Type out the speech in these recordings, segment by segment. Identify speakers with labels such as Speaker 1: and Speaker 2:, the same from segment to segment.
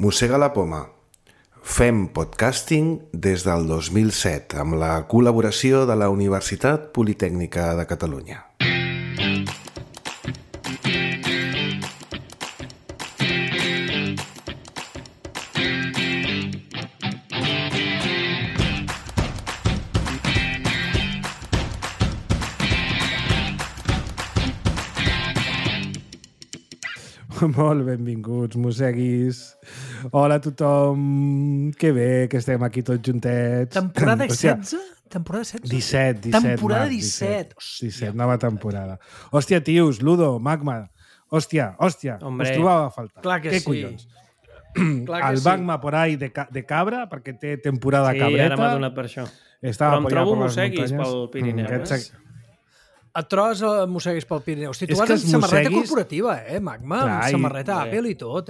Speaker 1: Mossega la poma. Fem podcasting des del 2007 amb la col·laboració de la Universitat Politècnica de Catalunya.
Speaker 2: Molt benvinguts, mosseguis. Hola a tothom. Que bé que estem aquí tots juntets.
Speaker 3: Temporada 16? Temporada 16?
Speaker 2: 17.
Speaker 3: Temporada 17.
Speaker 2: 17, nova temporada. Hòstia, tios, Ludo, Magma. Hòstia,
Speaker 3: Hombre,
Speaker 2: us trobava a faltar.
Speaker 3: Clar que
Speaker 2: Què
Speaker 3: sí.
Speaker 2: collons?
Speaker 3: Clar que
Speaker 2: El
Speaker 3: sí.
Speaker 2: Magma por ahí de cabra, perquè té temporada
Speaker 4: Sí,
Speaker 2: cabreta.
Speaker 4: ara m'ha donat per això.
Speaker 2: Estava
Speaker 4: Però em
Speaker 2: per allà
Speaker 4: trobo
Speaker 2: per les
Speaker 4: mosseguis
Speaker 2: muntanyes.
Speaker 4: pel Pirineu,
Speaker 3: A tros mosseguis pel Pirineu. Hosti, tu
Speaker 2: És
Speaker 3: vas
Speaker 2: que
Speaker 3: amb
Speaker 2: els
Speaker 3: samarreta
Speaker 2: mosseguis-
Speaker 3: corporativa, Magma?
Speaker 2: Clar,
Speaker 3: Amb samarreta
Speaker 4: i-
Speaker 3: Apple i tot,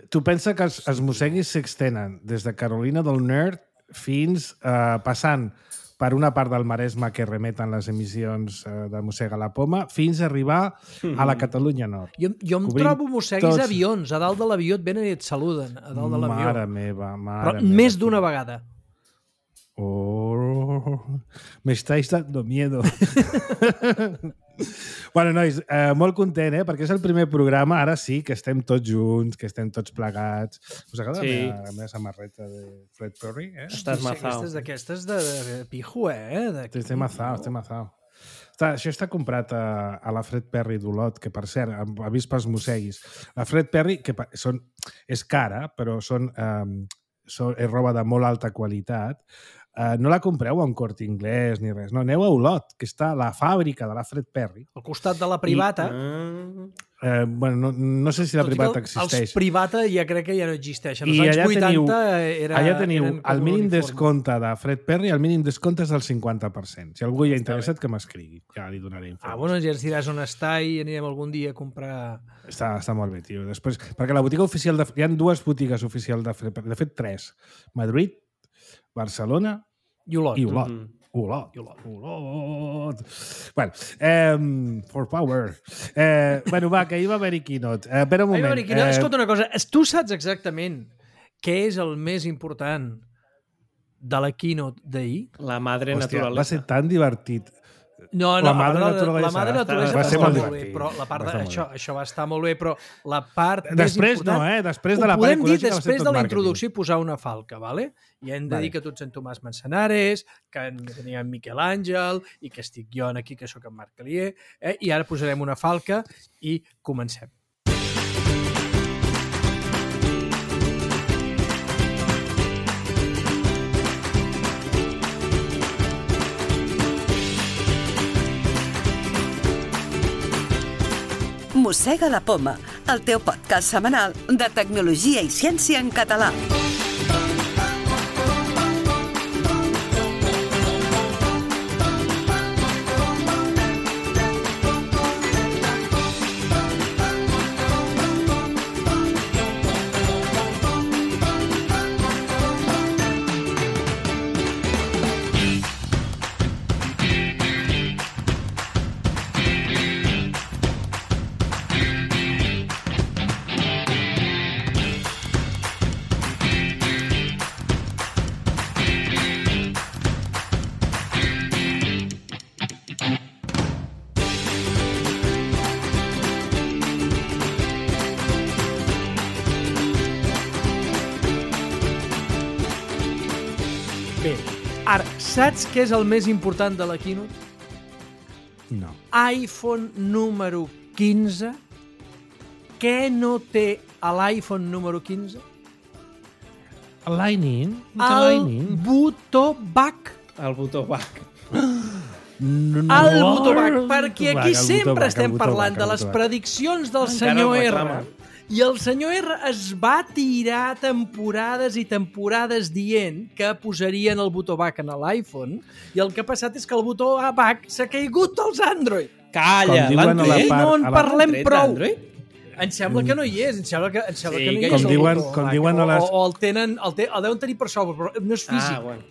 Speaker 2: Tu pensa que els mosseguis s'extenen des de Carolina del Nord fins passant per una part del Maresme que remeten les emissions de Mossega la Poma, fins a arribar a la Catalunya Nord.
Speaker 3: Jo em
Speaker 2: Cobrint
Speaker 3: trobo mosseguis
Speaker 2: tots.
Speaker 3: avions. A dalt de l'avió et venen i et saluden. A dalt de l'avió.
Speaker 2: Mare meva, mare
Speaker 3: Però
Speaker 2: meva.
Speaker 3: més d'una vegada.
Speaker 2: Oh, me estáis dando miedo. Bueno, nois, molt content, perquè és el primer programa, ara sí, que estem tots junts, que estem tots plegats. Us agrada
Speaker 4: Sí.
Speaker 2: la meva samarreta de Fred Perry?
Speaker 4: Estàs mazao.
Speaker 3: Aquestes de pijo,
Speaker 2: Estem mazao, estem mazao. Això està comprat a la Fred Perry d'Olot, que per cert, avís pels mosseguis. La Fred Perry, que és cara, però és roba de molt alta qualitat. No la compreu a un Corte Inglés ni res. No, aneu a Olot, que està a la fàbrica de la Fred Perry.
Speaker 3: Al costat de la privata.
Speaker 2: Bueno, no sé si la
Speaker 3: Tot i que
Speaker 2: privata existeix.
Speaker 3: Els privata ja crec que ja no existeixen.
Speaker 2: I
Speaker 3: Els anys
Speaker 2: allà
Speaker 3: 80
Speaker 2: allà teniu
Speaker 3: eren com
Speaker 2: el
Speaker 3: un
Speaker 2: mínim
Speaker 3: uniforme.
Speaker 2: descompte de Fred Perry, el mínim descompte és del 50%. Si algú hi ha interessat, que m'escrigui. Ja li donaré informació.
Speaker 3: Bueno, ja ens diràs on està i anirem algun dia a comprar...
Speaker 2: Està molt bé, tio. Després, perquè la botiga oficial hi ha dues botigues oficials de Fred Perry. De fet, tres. Madrid, Barcelona
Speaker 3: I Olot.
Speaker 2: i Olot. Olot. Bueno, for power. Bueno, va, que ahir va haver-hi keynote. Espera un moment.
Speaker 3: Escolta una cosa, tu saps exactament què és el més important de la keynote d'ahir?
Speaker 4: La madre
Speaker 2: Hòstia,
Speaker 4: naturalesa.
Speaker 2: va ser tan divertit.
Speaker 3: No,
Speaker 2: La madre
Speaker 3: la
Speaker 2: naturalesa
Speaker 3: madre naturalesa
Speaker 2: va
Speaker 3: va
Speaker 2: ser
Speaker 3: estar
Speaker 2: molt
Speaker 3: molt bé,
Speaker 2: divertit.
Speaker 3: però la part
Speaker 2: Va estar molt
Speaker 3: això va estar molt bé, però la part
Speaker 2: Després
Speaker 3: més important...
Speaker 2: no, Després de la
Speaker 3: ho
Speaker 2: part
Speaker 3: podem dir
Speaker 2: ecològica va ser
Speaker 3: després
Speaker 2: tot
Speaker 3: de la
Speaker 2: màrqueting.
Speaker 3: introducció i posar una falca, ¿vale? I hem de
Speaker 2: Vale.
Speaker 3: dir que tots en Tomàs Manzanares, que teníem Miquel Àngel i que estic jo aquí, que sóc en Marc Calier, i ara posarem una falca i comencem.
Speaker 5: Mossega la poma, el teu podcast setmanal de tecnologia i ciència en català. Bé, ara, saps què és el més important de la keynote?
Speaker 2: No.
Speaker 3: iPhone número 15. Què no té a l'iPhone número 15?
Speaker 2: El Lightning?
Speaker 3: El botó back.
Speaker 4: El botó back.
Speaker 3: El botó back, perquè aquí sempre estem parlant de les
Speaker 2: prediccions.
Speaker 3: prediccions del
Speaker 4: Encara
Speaker 3: senyor
Speaker 4: el
Speaker 3: R.
Speaker 4: reclama.
Speaker 3: I el senyor R es va tirar temporades i temporades dient que posarien el botó back en l'iPhone i el que ha passat és que el botó back s'ha caigut dels Android.
Speaker 4: Calla,
Speaker 2: Com diuen a la
Speaker 3: I
Speaker 2: part-
Speaker 3: no en
Speaker 2: a la-
Speaker 3: parlem
Speaker 4: tret
Speaker 3: prou.
Speaker 4: d'Android?
Speaker 3: Em sembla que no hi és, em sembla que no hi és.
Speaker 4: com
Speaker 3: el
Speaker 2: diuen-
Speaker 3: botó
Speaker 2: com
Speaker 3: back.
Speaker 2: diuen a les-
Speaker 3: O el tenen, el deuen tenir per software, però no és físic.
Speaker 4: Bueno.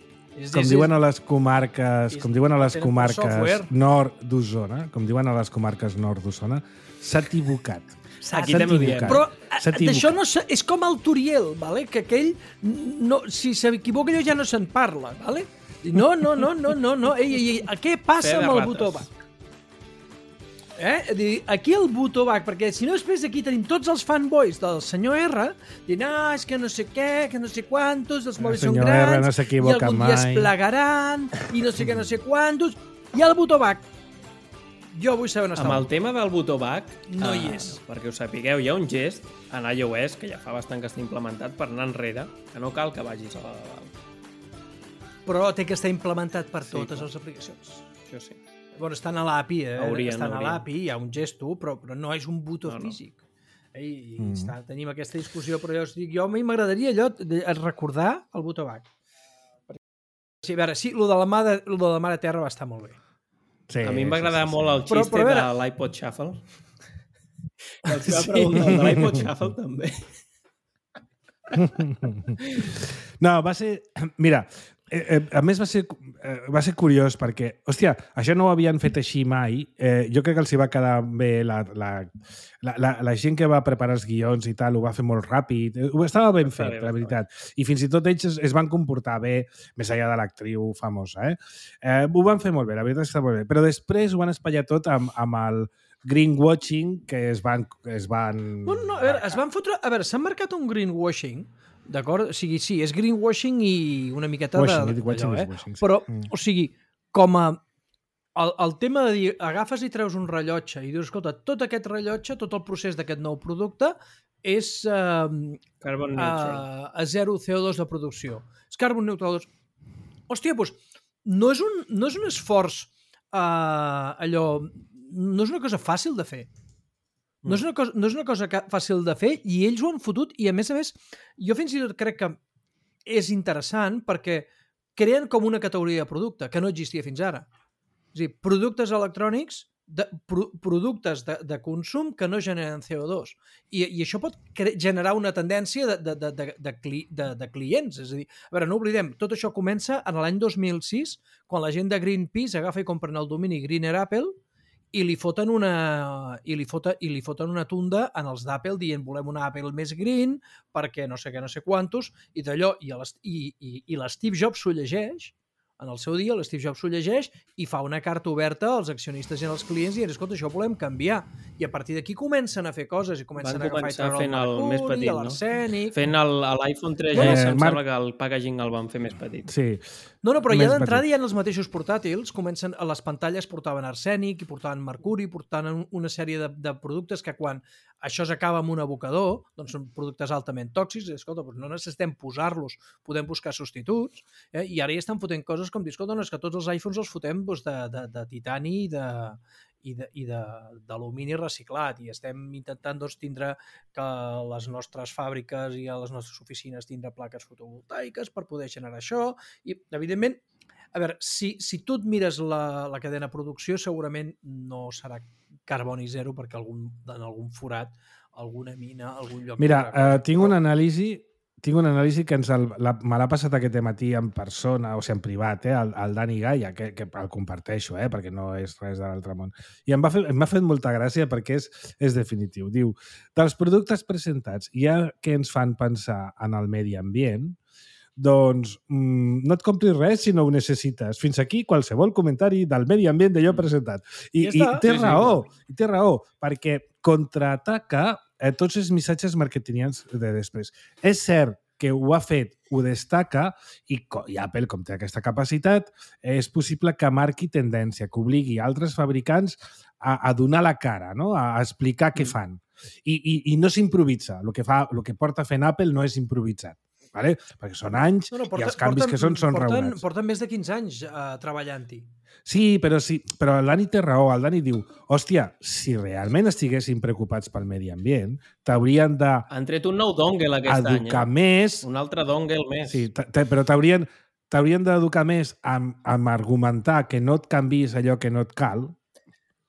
Speaker 2: Com diuen a les comarques,
Speaker 3: és-
Speaker 2: com diuen a les
Speaker 3: tenen per
Speaker 2: comarques
Speaker 3: software.
Speaker 2: nord d'Osona, com diuen a les comarques nord d'Osona, s'ha equivocat.
Speaker 4: Aquí també ho diem.
Speaker 3: Però
Speaker 2: S'ha equivocat.
Speaker 3: d'això no és com el Turiel, vale? Que aquell, no, si s'equivoca allò ja no se'n parla. Vale? No. Ei, què passa
Speaker 4: Fe de
Speaker 3: amb el
Speaker 4: rates.
Speaker 3: Butovac? Aquí el Butovac, perquè si no després aquí tenim tots els fanboys del senyor R dient, és que no sé què, que no sé quantos, els mòbils són
Speaker 2: senyor R
Speaker 3: grans,
Speaker 2: no s'equivoca
Speaker 3: i algun dia es
Speaker 2: mai.
Speaker 3: plegaran, i no sé què, no sé quantos, i el Butovac. Jo vull saber on està.
Speaker 4: Amb el tema del Butovac,
Speaker 3: No hi és.
Speaker 4: perquè ho sapigueu, hi ha un gest en iOS que ja fa bastant que està implementat per anar enrere, que no cal que vagis a la de dalt.
Speaker 3: Però té que estar implementat per
Speaker 4: Sí,
Speaker 3: totes
Speaker 4: clar.
Speaker 3: les aplicacions.
Speaker 4: Això sí.
Speaker 3: Bueno, estan a l'API,
Speaker 4: Haurien.
Speaker 3: a l'API, hi ha un gesto, però no és un botó
Speaker 4: No.
Speaker 3: físic. Tenim aquesta discussió, però jo a mi m'agradaria allò de recordar el Butovac. Sí, a veure, sí, lo de la Mare Terra va estar molt bé.
Speaker 2: Sí,
Speaker 4: A mi em va agradar molt el
Speaker 3: Però,
Speaker 4: xiste
Speaker 3: a veure-
Speaker 4: de l'iPod Shuffle. I els va
Speaker 3: Sí.
Speaker 4: preguntar el de l'iPod Shuffle també.
Speaker 2: No, va ser... Mira, a més va ser curiós perquè, hòstia, això no ho havien fet així mai. Jo crec que els hi va quedar bé la gent que va preparar els guions i tal, ho va fer molt ràpid. Estava ben
Speaker 4: Està
Speaker 2: fet,
Speaker 4: bé,
Speaker 2: la veritat. I fins i tot ells es van comportar bé, més enllà de l'actriu famosa. Ho van fer molt bé, la veritat està molt bé. Però després ho van espatllar tot amb el greenwashing que es van...
Speaker 3: Bueno, no, a veure, es van fotre... A veure, s'han marcat un greenwashing, d'acord? O sigui, sí, és greenwashing i una miqueta
Speaker 2: Washing,
Speaker 3: de...
Speaker 2: washing
Speaker 3: d'allò,
Speaker 2: is washing, sí.
Speaker 3: Però, o sigui, com a... El tema de dir, agafes i treus un rellotge i dius, escolta, tot aquest rellotge, tot el procés d'aquest nou producte és
Speaker 4: Carbon neutral.
Speaker 3: a zero CO2 de producció. És carbon neutral. Hòstia, doncs, no és un esforç allò... No és una cosa fàcil de fer. No és una cosa fàcil de fer i ells ho han fotut i, a més, jo fins i tot crec que és interessant perquè creen com una categoria de producte que no existia fins ara. És a dir, productes electrònics, productes de consum que no generen CO2. I això pot generar una tendència de clients. És a dir, a veure, no oblidem, tot això comença en l'any 2006, quan la gent de Greenpeace agafa i compren el domini Greener Apple i li foten una tunda en els d'Apple dient volem una Apple més green perquè no sé què, no sé quantos, i d'allò, i l'Steve Jobs s'ho llegeix, en el seu dia l'Steve Jobs s'ho llegeix i fa una carta oberta als accionistes i als clients i diuen, escolta, això ho volem canviar. I a partir d'aquí comencen a fer coses i comencen a agafar i treure
Speaker 4: fent el més petit, no?
Speaker 3: l'arsènic...
Speaker 4: Fent l'iPhone 3GS, em sembla que el packaging el van fer més petit.
Speaker 2: Sí.
Speaker 3: No, però ja
Speaker 2: Més
Speaker 3: d'entrada
Speaker 2: petit.
Speaker 3: hi ha els mateixos portàtils, comencen, a les pantalles portaven arsènic, i portaven mercuri, portaven una sèrie de productes que quan això s'acaba amb un abocador, doncs són productes altament tòxics, i escolta, doncs no necessitem posar-los, podem buscar substituts, i ara ja estan fotent coses com dir, escolta, no, és que tots els iPhones els fotem doncs, de titani i d'alumini reciclat, i estem intentant doncs, tindre que les nostres fàbriques i a les nostres oficines tindre plaques fotovoltaiques per poder generar això, i evidentment, a veure, si tu et mires la cadena de producció, segurament no serà carboni zero perquè en algun forat, alguna mina, algun lloc...
Speaker 2: Mira, tinc una anàlisi que me l'ha passat aquest matí en persona, o sigui, en privat, el Dani Gaia, que el comparteixo, perquè no és res de l'altre món. I m'ha fet molta gràcia perquè és definitiu. Diu, dels productes presentats, ja que ens fan pensar en el medi ambient, doncs no et compris res si no ho necessites. Fins aquí qualsevol comentari del medi ambient d'allò presentat. I té raó, perquè contraataca tots els missatges marketingians de després. És cert que ho ha fet, ho destaca, i Apple, com té aquesta capacitat, és possible que marqui tendència, que obligui altres fabricants a donar la cara, no? A explicar què fan. I no s'improvisa. El que porta fent Apple no és improvisat. Vale? Perquè són anys i els canvis que són raonats.
Speaker 3: Porten més de 15 anys treballant-hi.
Speaker 2: Sí, però el Dani té raó. El Dani diu, hòstia, si realment estiguessin preocupats pel medi ambient, t'haurien de...
Speaker 4: Han tret un nou dongle aquest any.
Speaker 2: Educar més...
Speaker 4: Un altre dongle més.
Speaker 2: Sí, però t'haurien d'educar més amb argumentar que no et canvis allò que no et cal,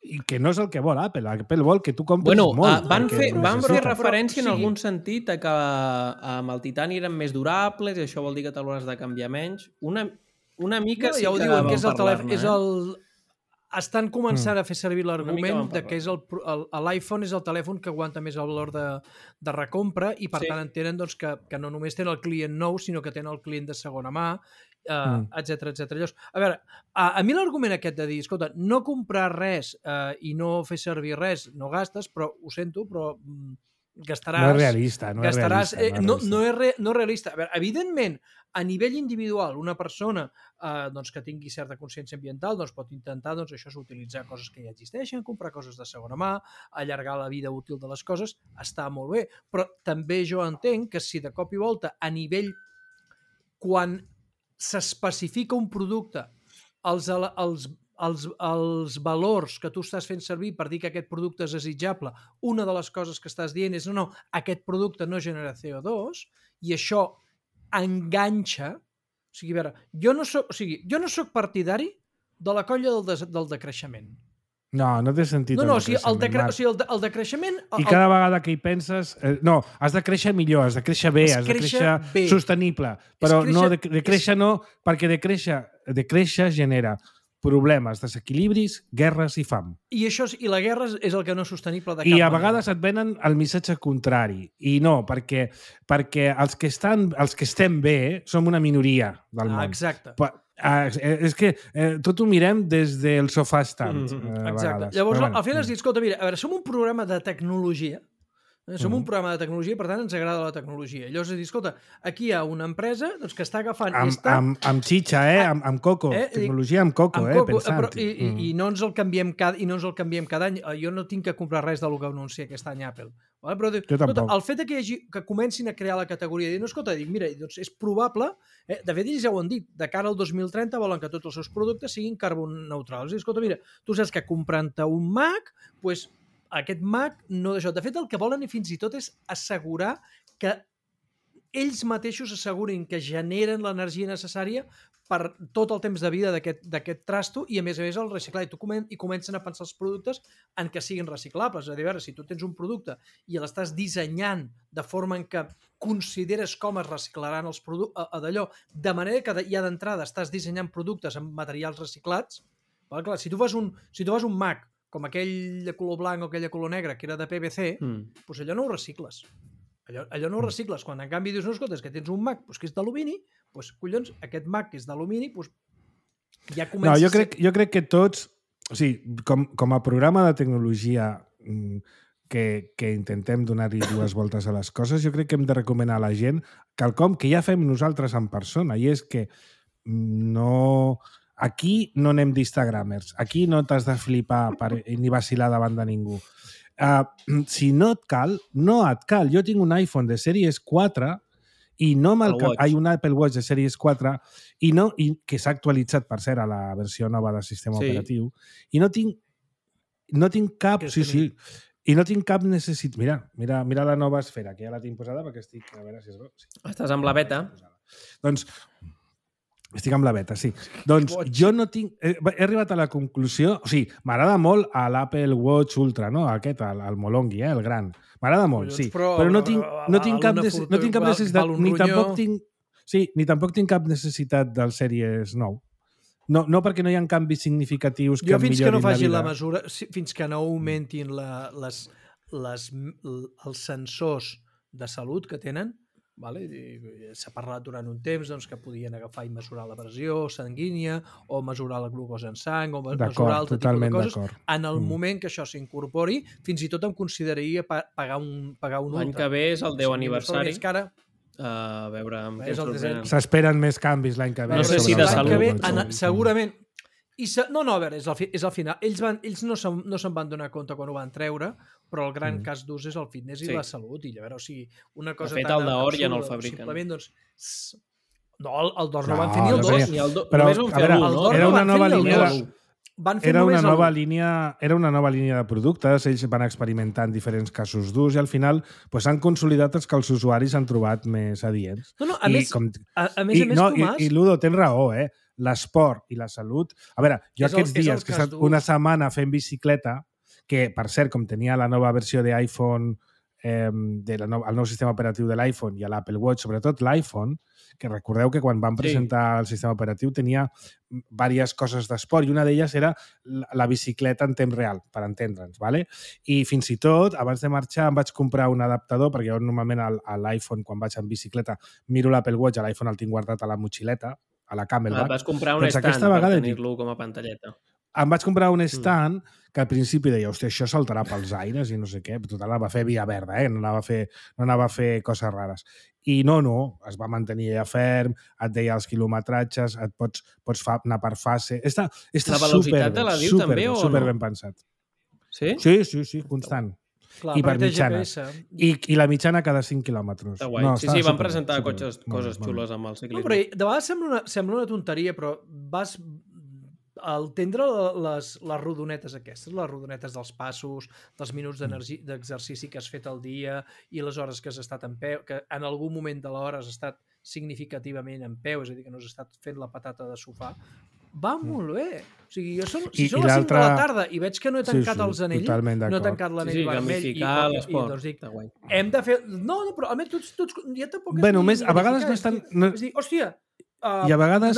Speaker 2: i que no és el que vol Apple. Apple vol que tu compris molt.
Speaker 4: Van fer referència en algun sentit a que amb el titani eren més durables i això vol dir que te l'hauràs de canviar menys. Una mica
Speaker 3: ja ho diuen, que és el telèfon, estan començant a fer servir
Speaker 4: Una mica
Speaker 3: l'argument
Speaker 4: vam
Speaker 3: de que és l'iPhone és el telèfon que aguanta més el valor de recompra i per tant entenen doncs, que no només tenen el client nou, sinó que tenen el client de segona mà, etc. A veure, a mi l'argument aquest de dir, escolta, no comprar res i no fer servir res, no gastes, però ho sento, però gastaràs...
Speaker 2: No és realista, no és realista.
Speaker 3: No és realista. A veure, evidentment, a nivell individual, una persona doncs, que tingui certa consciència ambiental doncs, pot intentar doncs, això és utilitzar coses que ja existeixen, comprar coses de segona mà, allargar la vida útil de les coses, està molt bé. Però també jo entenc que si de cop i volta a nivell, quan s'especifica un producte, els valors que tu estàs fent servir per dir que aquest producte és desitjable, una de les coses que estàs dient és no, aquest producte no genera CO2 i això enganxa. O sigui, a veure, jo no soc partidari de la colla del decreixement.
Speaker 2: No té sentit
Speaker 3: el decreixement. El decreixement...
Speaker 2: I cada vegada que hi penses... No, has de créixer millor, has de créixer bé, has de créixer sostenible. Però no, de créixer no, perquè de créixer genera problemes, desequilibris, guerres i fam.
Speaker 3: I la guerra és el que no és sostenible de cap
Speaker 2: manera. I a
Speaker 3: manera.
Speaker 2: vegades et venen el missatge contrari. I no, perquè els que estem bé som una minoria del món.
Speaker 3: Exacte.
Speaker 2: És que tot ho mirem des del sofà estant.
Speaker 3: Exacte. Llavors, al final has dit, escolta, mira, a veure, som un programa de tecnologia, som un programa de tecnologia, per tant ens agrada la tecnologia. Llavors has dit, escolta, aquí hi ha una empresa doncs, que està agafant...
Speaker 2: Amb xitxa, amb coco. Tecnologia amb coco, pensant-hi.
Speaker 3: I no ens el canviem cada any. Jo no tinc que comprar res del que anuncia aquest any Apple. Però escolta, el fet que comencin a crear la categoria i dir, no, escolta, mira, doncs és probable, de fet ells ja ho han dit, de cara al 2030 volen que tots els seus productes siguin carboneutrals. Escolta, mira, tu saps que comprant-te un Mac, doncs aquest Mac no d'això. De fet, el que volen fins i tot és assegurar que ells mateixos assegurin que generen l'energia necessària per tot el temps de vida d'aquest trasto i, a més el reciclar. I comencen a pensar els productes en què siguin reciclables. És a dir, a veure, si tu tens un producte i l'estàs dissenyant de forma en què consideres com es reciclaran els productes, d'allò, de manera que ja d'entrada estàs dissenyant productes amb materials reciclats, clar, si tu fas un Mac com aquell de color blanc o aquell de color negre que era de PVC, doncs allò no ho recicles. Allò no ho recicles. Quan en canvi dius, no, escolta, és que tens un Mac que és d'alumini, doncs collons, aquest Mac que és d'alumini, ja comença...
Speaker 2: No, jo crec que tots, o sigui, com a programa de tecnologia que intentem donar-hi dues voltes a les coses, jo crec que hem de recomanar a la gent quelcom que ja fem nosaltres en persona, i és que no... Aquí no anem d'Instagramers. Aquí no t'has de flipar ni vacilar davant de ningú. Si no et cal, no et cal. Jo tinc un iPhone de sèries 4 i no un Apple Watch de sèries 4 i que s'ha actualitzat, per cert, a la versió nova del sistema operatiu. I no tinc cap... I no tinc cap necessitat... Mira la nova esfera, que ja la tinc posada perquè estic... A veure si es veu.
Speaker 4: Estàs amb la beta.
Speaker 2: Doncs... Estic amb la beta, sí. Doncs jo no tinc... He arribat a la conclusió... O sigui, m'agrada molt a l'Apple Watch Ultra, no? Aquest, el Molongi, el gran. M'agrada molt, sí. Però no tinc cap necessitat... Ni tampoc tinc cap necessitat del Series 9. No perquè no hi ha canvis significatius que em millorin la vida.
Speaker 3: Jo fins que no facin la mesura, fins que no augmentin els sensors de salut que tenen, s'ha parlat durant un temps que podien agafar i mesurar la pressió sanguínia o mesurar la glucosa en sang o mesurar altre tipus de coses. En el moment que això s'incorpori, fins i tot em consideraria pagar un ultra.
Speaker 4: L'any que ve és el 10 aniversari. A veure amb què sorprenen.
Speaker 2: S'esperen més canvis l'any que ve.
Speaker 4: No sé si de salut.
Speaker 3: Segurament. No, a veure, és al final. Ells no se'n van donar compte quan ho van treure, però el gran cas d'ús és el fitness i la salut. I a veure, o sigui, una cosa
Speaker 4: de fet, el d'or ja no el fabriquen.
Speaker 3: Simplement, doncs... No, el d'or no van fer ni el 2.
Speaker 4: Només van fer l'1, no?
Speaker 2: Era una nova línia... Era una nova línia de productes, ells van experimentar en diferents casos d'ús i al final s'han consolidat els que els usuaris han trobat més adients.
Speaker 3: A més, Tomàs...
Speaker 2: I Ludo, tens raó, l'esport i la salut... A veure, jo aquests dies que he estat una setmana fent bicicleta, que, per cert, com tenia la nova versió d'iPhone el nou sistema operatiu de l'iPhone i a l'Apple Watch, sobretot l'iPhone, que recordeu que quan van presentar el sistema operatiu tenia diverses coses d'esport i una d'elles era la bicicleta en temps real, per entendre'ns, ¿vale? I fins i tot, abans de marxar, em vaig comprar un adaptador, perquè jo normalment a l'iPhone, quan vaig en bicicleta, miro l'Apple Watch, a l'iPhone el tinc guardat a la motxileta, a la Camelback.
Speaker 4: Vas comprar un stand per tenir-lo com a pantalleta.
Speaker 2: Em vaig comprar un stand que al principi deia, hòstia, això saltarà pels aires i no sé què. Total, anava a fer via verda, no anava a fer coses rares. I no, es va mantenir allà ferm, et deia els quilometratges, pots anar per fase. Està
Speaker 4: la velocitat te la diu també o no?
Speaker 2: Super ben pensat.
Speaker 4: Sí?
Speaker 2: Sí, constant.
Speaker 3: Clar,
Speaker 2: I per mitjana. I la mitjana cada 5 quilòmetres.
Speaker 4: Està guai. Sí, van presentar coses xules amb el ciclisme.
Speaker 3: No, però de vegades sembla una tonteria, però vas al tendre les rodonetes aquestes, les rodonetes dels passos, dels minuts d'exercici que has fet al dia i les hores que has estat en peu, que en algun moment de l'hora has estat significativament en peu, és a dir, que no has estat fent la patata de sofà, va molt bé. O sigui, jo són les 5 de la tarda i veig que no he tancat els anells, no he tancat l'anell vermell i doncs dic, hem de fer... No, però almenys tots ja tampoc...
Speaker 2: Bueno, més, a vegades no estan...
Speaker 3: És dir, hòstia,
Speaker 2: i a vegades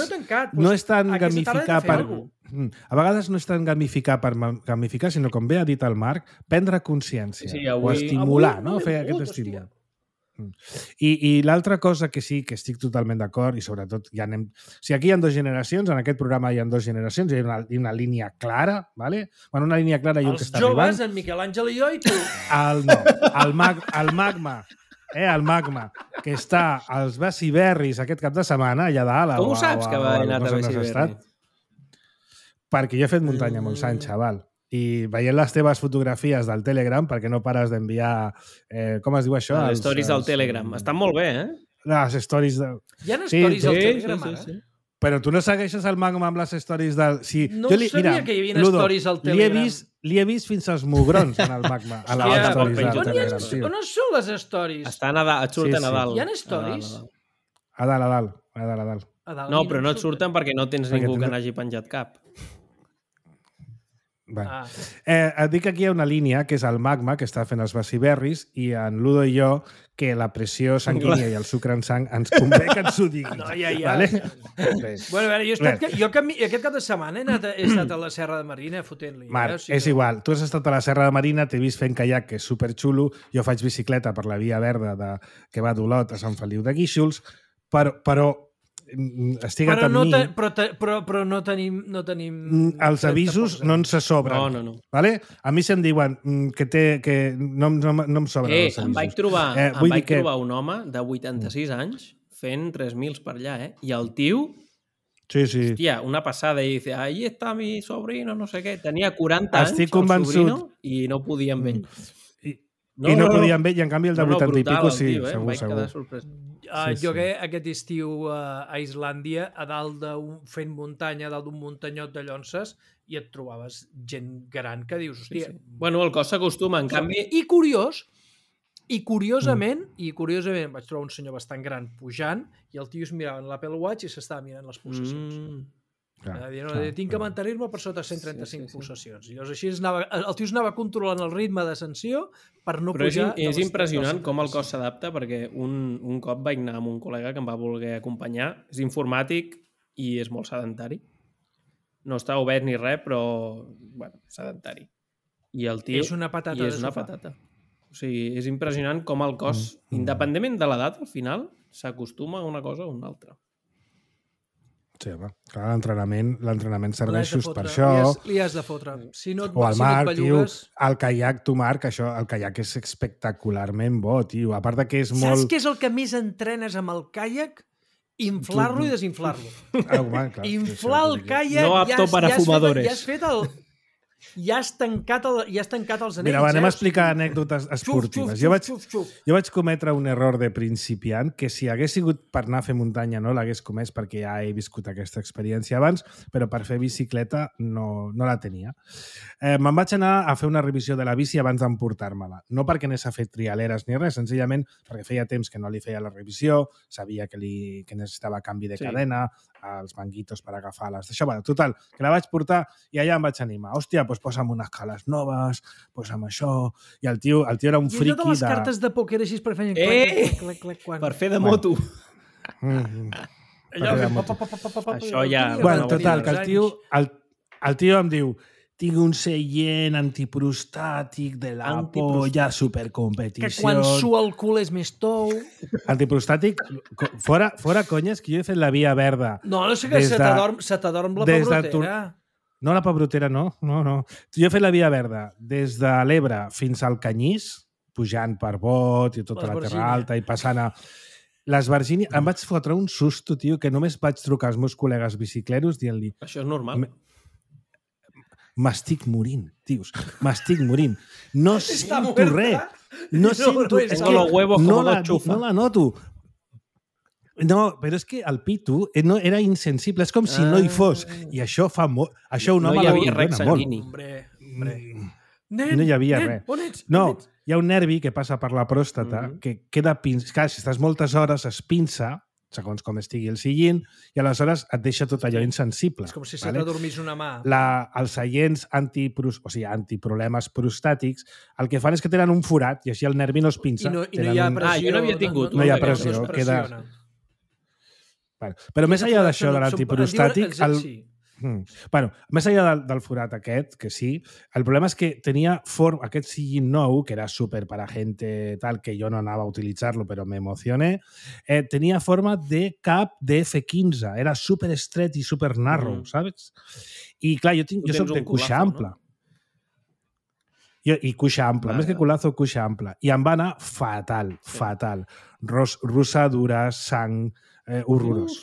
Speaker 2: no és tant gamificar per... A vegades no és tant gamificar per gamificar, sinó, com bé ha dit el Marc, prendre consciència o estimular, no? Fer aquest estímul. I l'altra cosa que sí que estic totalment d'acord, i sobretot ja anem... Si aquí hi ha 2 generacions, en aquest programa hi ha 2 generacions, hi ha una línia clara, ¿vale? Bueno, una línia clara i un que està arribant.
Speaker 3: Els joves, en Miquel Àngel i jo, i tu.
Speaker 2: El Magma. El Magma, que està als Bessiberris aquest cap de setmana, allà dalt.
Speaker 4: Com ho saps que va anar a Bessiberri?
Speaker 2: Perquè jo he fet muntanya a Montsant, xaval. I veient les teves fotografies del Telegram, perquè no pares d'enviar... com es diu això?
Speaker 4: Les stories del Telegram. Estan molt bé, eh?
Speaker 2: Les stories de...
Speaker 3: Hi ha stories al Telegram, ara?
Speaker 4: Sí.
Speaker 2: Però tu no segueixes el Magma amb les stories del...
Speaker 3: No sabia que hi havia stories al Telegram.
Speaker 2: Li he vist fins als mugrons en el Magma, a les stories del Telegram.
Speaker 3: On són les stories?
Speaker 4: Estan a dalt, et surten a dalt.
Speaker 3: Hi ha stories?
Speaker 2: A dalt.
Speaker 4: No, però no et surten perquè no tens ningú que n'hagi penjat cap.
Speaker 2: Et dic que aquí hi ha una línia, que és el Magma, que està fent els Bessiberris, i en Ludo i jo, que la pressió sanguínia i el sucre en sang ens convé que ens ho diguis.
Speaker 3: No, ja.
Speaker 2: Vale?
Speaker 3: Bueno, a veure, jo aquest cap de setmana he estat a la Serra de Marina fotent-li.
Speaker 2: Marc, és igual. Tu has estat a la Serra de Marina, t'he vist fent caiac, que és superxulo, jo faig bicicleta per la via verda que va d'Olot a Sant Feliu de Guíxols, però estiga't amb mi.
Speaker 3: Però no tenim...
Speaker 2: Els avisos no ens se sobren.
Speaker 4: No.
Speaker 2: Vale? A mi se'm diuen que no em sobren els avisos.
Speaker 4: Em vaig trobar un home de 86 anys fent 3.000 per allà, I el tio...
Speaker 2: Sí.
Speaker 4: Hòstia, una passada, i dice, ahí está mi sobrino, no sé què. Tenia 40 anys, el sobrino, i no podia amb ell.
Speaker 2: I no podia amb ell, i en canvi el de 80 i pico sí, segur.
Speaker 3: Jo que aquest estiu a Islàndia, a dalt fent muntanya, a dalt d'un muntanyot de llonses, i et trobaves gent gran que dius, hòstia...
Speaker 4: Bueno, el cos s'acostuma, en canvi...
Speaker 3: I curiosament vaig trobar un senyor bastant gran pujant i el tio es mirava en l'Apple Watch i s'estava mirant les pulsacions. Tinc que mantenir-me per sota 135 pulsacions. I llavors així el tio anava controlant el ritme d'ascensió per no pujar...
Speaker 4: Però és impressionant com el cos s'adapta, perquè un cop vaig anar amb un col·lega que em va voler acompanyar. És informàtic i és molt sedentari. No està obert ni res, però sedentari. I el tio...
Speaker 3: És una patata de sofà.
Speaker 4: O sigui, és impressionant com el cos, independentment de l'edat, al final, s'acostuma a una cosa o a una altra.
Speaker 2: Sí, home. Clar, l'entrenament serveix just per això.
Speaker 3: Li has de fotre.
Speaker 2: O el Marc, tio, el caiac, tu, Marc, el caiac és espectacularment bo, tio. A part de que és molt...
Speaker 3: Saps què és el que més entrenes amb el caiac? Inflar-lo i desinflar-lo. Inflar el caiac...
Speaker 4: No apto para fumadores.
Speaker 3: Ja has fet el... Ja has tancat els anells.
Speaker 2: Mira, anem a explicar anècdotes esportives. Jo vaig cometre un error de principiant que si hagués sigut per anar a fer muntanya no l'hagués comès perquè ja he viscut aquesta experiència abans, però per fer bicicleta no la tenia. Me'n vaig anar a fer una revisió de la bici abans d'emportar-me-la. No perquè anés a fer trialeres ni res, senzillament perquè feia temps que no li feia la revisió, sabia que necessitava canvi de cadena, els manguitos per agafar-les. Això, total, que la vaig portar i allà em vaig animar. Hòstia, pues posa'm unes cales noves, posa'm això... I el tio era un friqui de...
Speaker 3: I allò de les cartes de pòquer així per fer... Clac, quan...
Speaker 4: Per fer de moto.
Speaker 3: Això
Speaker 4: ja...
Speaker 2: Bueno, total, que el tio em diu tinc un seient antiprostàtic de la polla, supercompetició...
Speaker 3: Que quan sua el cul és més tou...
Speaker 2: Antiprostàtic, fora conyes, que jo he fet la via verda.
Speaker 3: No sé que se t'adorm la pebrotera.
Speaker 2: No, la pebrotera no. Jo he fet la via verda des de l'Ebre fins al Canyís, pujant per Bot i tota la Terra Alta i passant a... Les Virgínies... Em vaig fotre un susto, tio, que només vaig trucar als meus col·legues bicicleros dient-li...
Speaker 4: Això és normal.
Speaker 2: M'estic morint, tios. M'estic morint. No sento res. No sento... No la noto. No, però és que el pito era insensible. És com si no hi fos. I això fa molt... Això un home
Speaker 4: no hi havia res sanguini.
Speaker 2: No hi havia res. No, hi ha un nervi que passa per la pròstata que queda pinçat. Clar, si estàs moltes hores es pinça, segons com estigui el sillín, i aleshores et deixa tot allò insensible.
Speaker 3: És com si se t'adormís una mà.
Speaker 2: Els seients antiproblemes prostàtics, el que fan és que tenen un forat i així el nervi no es pinça.
Speaker 3: I no hi ha pressió.
Speaker 4: Jo no havia tingut.
Speaker 2: No hi ha pressió. Però més enllà d'això de l'antiprostàtic... Bueno, més enllà del forat aquest, que sí, el problema és que tenia aquest sillín nou, que era súper para gente tal, que jo no anava a utilitzar-lo, però me emocioné, tenia forma de cap de F15, era súper estret i súper narrow, saps? I clar, jo soc de cuixa ampla. I cuixa ampla, més que culazo, cuixa ampla. I em va anar fatal. Rossadures, sang... horrorós.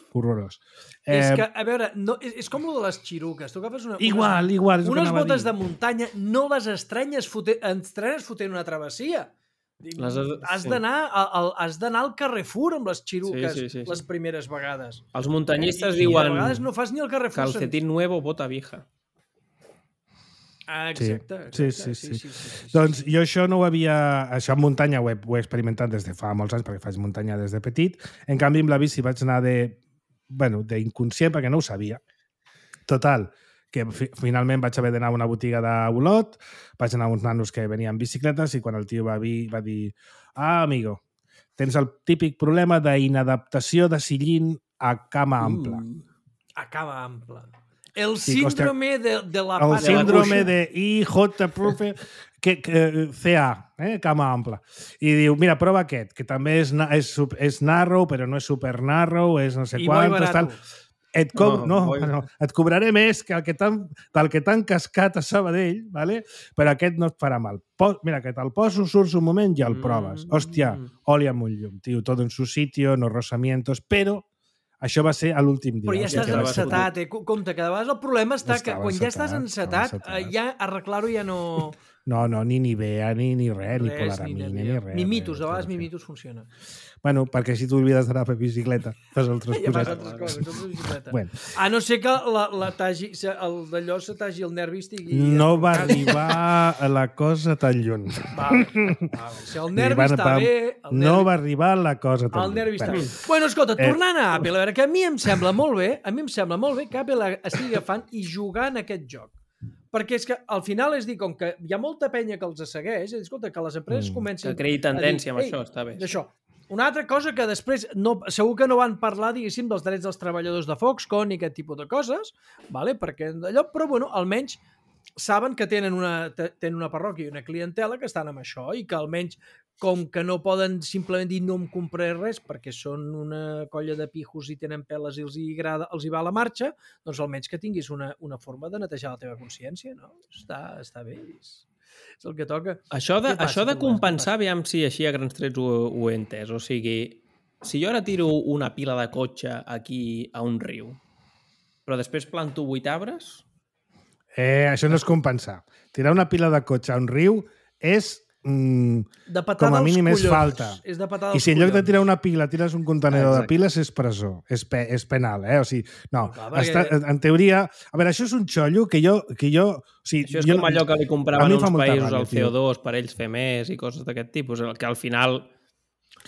Speaker 3: És que, a veure, és com el de les xiruques. Tu agafes
Speaker 2: igual.
Speaker 3: Unes botes de muntanya, no les estrenyes fotent una travessia. Has d'anar al Carrefour amb les xiruques les primeres vegades.
Speaker 4: Els muntanyistes diuen...
Speaker 3: A vegades no fas ni el Carrefour.
Speaker 4: Calcetín nuevo, bota vieja.
Speaker 3: Exacte.
Speaker 2: Sí. Doncs jo això no ho havia... Això en muntanya ho he experimentat des de fa molts anys, perquè faig muntanya des de petit. En canvi, amb la bici vaig anar d'inconscient, perquè no ho sabia. Total, que finalment vaig haver d'anar a una botiga d'Olot, vaig anar a uns nanos que venien en bicicletes i quan el tio va dir amigo, tens el típic problema d'inadaptació de sillín a cama ampla.
Speaker 3: A cama ampla. El síndrome de la pata.
Speaker 2: El síndrome de IJ CA, cama ampla. I diu, mira, prova aquest, que també és narrow, però no és super narrow, és no sé quant. Et cobraré més que del que t'han cascat a Sabadell, ¿vale? Però aquest no et farà mal. Mira, que te'l poso, surts un moment i el proves. Hòstia, oli amb un llum, tio, todo en su sitio, no rozamientos, però això va ser a l'últim dia.
Speaker 3: Però ja estàs encetat, Compte, que de vegades el problema està que quan ja estàs encetat, ja arreglar-ho ja no...
Speaker 2: No, ni Nivea, ni res, ni Polaramine, ni res.
Speaker 3: Ni Mitus, de vegades ni Mitus funciona.
Speaker 2: Bueno, perquè si t'oblides d'anar a fer bicicleta, fas altres
Speaker 3: coses. Ja fas altres coses, de bicicleta.
Speaker 2: Bueno.
Speaker 3: A no ser que el d'allò se tagi el nervi estigui...
Speaker 2: No va arribar la cosa tan lluny.
Speaker 3: Si el nervi està bé...
Speaker 2: No va arribar la cosa tan lluny.
Speaker 3: El nervi està bé. Bueno, escolta, tornant a Apple, a veure, que a mi em sembla molt bé que Apple estigui agafant i jugant aquest joc. Perquè és que al final és dir, com que hi ha molta penya que els segueix, és escolta, que les empreses comencen...
Speaker 4: Que creï tendència amb això, està bé.
Speaker 3: D'això. Una altra cosa que després, segur que no van parlar, diguéssim, dels drets dels treballadors de Foxconn i aquest tipus de coses, vale? Perquè allò, però bueno, almenys saben que tenen una parròquia i una clientela que estan amb això i que almenys, com que no poden simplement dir no em compraré res perquè són una colla de pijos i tenen peles i els hi va a la marxa, doncs almenys que tinguis una forma de netejar la teva consciència, no? Està bé, és el que toca.
Speaker 4: Això de compensar, aviam si així a grans trets ho he entès. O sigui, si jo ara tiro una pila de cotxe aquí a un riu, però després planto 8 arbres...
Speaker 2: Això no és compensar. Tirar una pila de cotxe a un riu és... com a mínim és falta. I si en lloc de tirar una pila tires un contenidor de piles és presó, és penal, O sigui, no, en teoria... A veure, això és un xollo que jo...
Speaker 4: Això és com allò que li compraven uns països al CO2 per ells fer més i coses d'aquest tipus, que al final...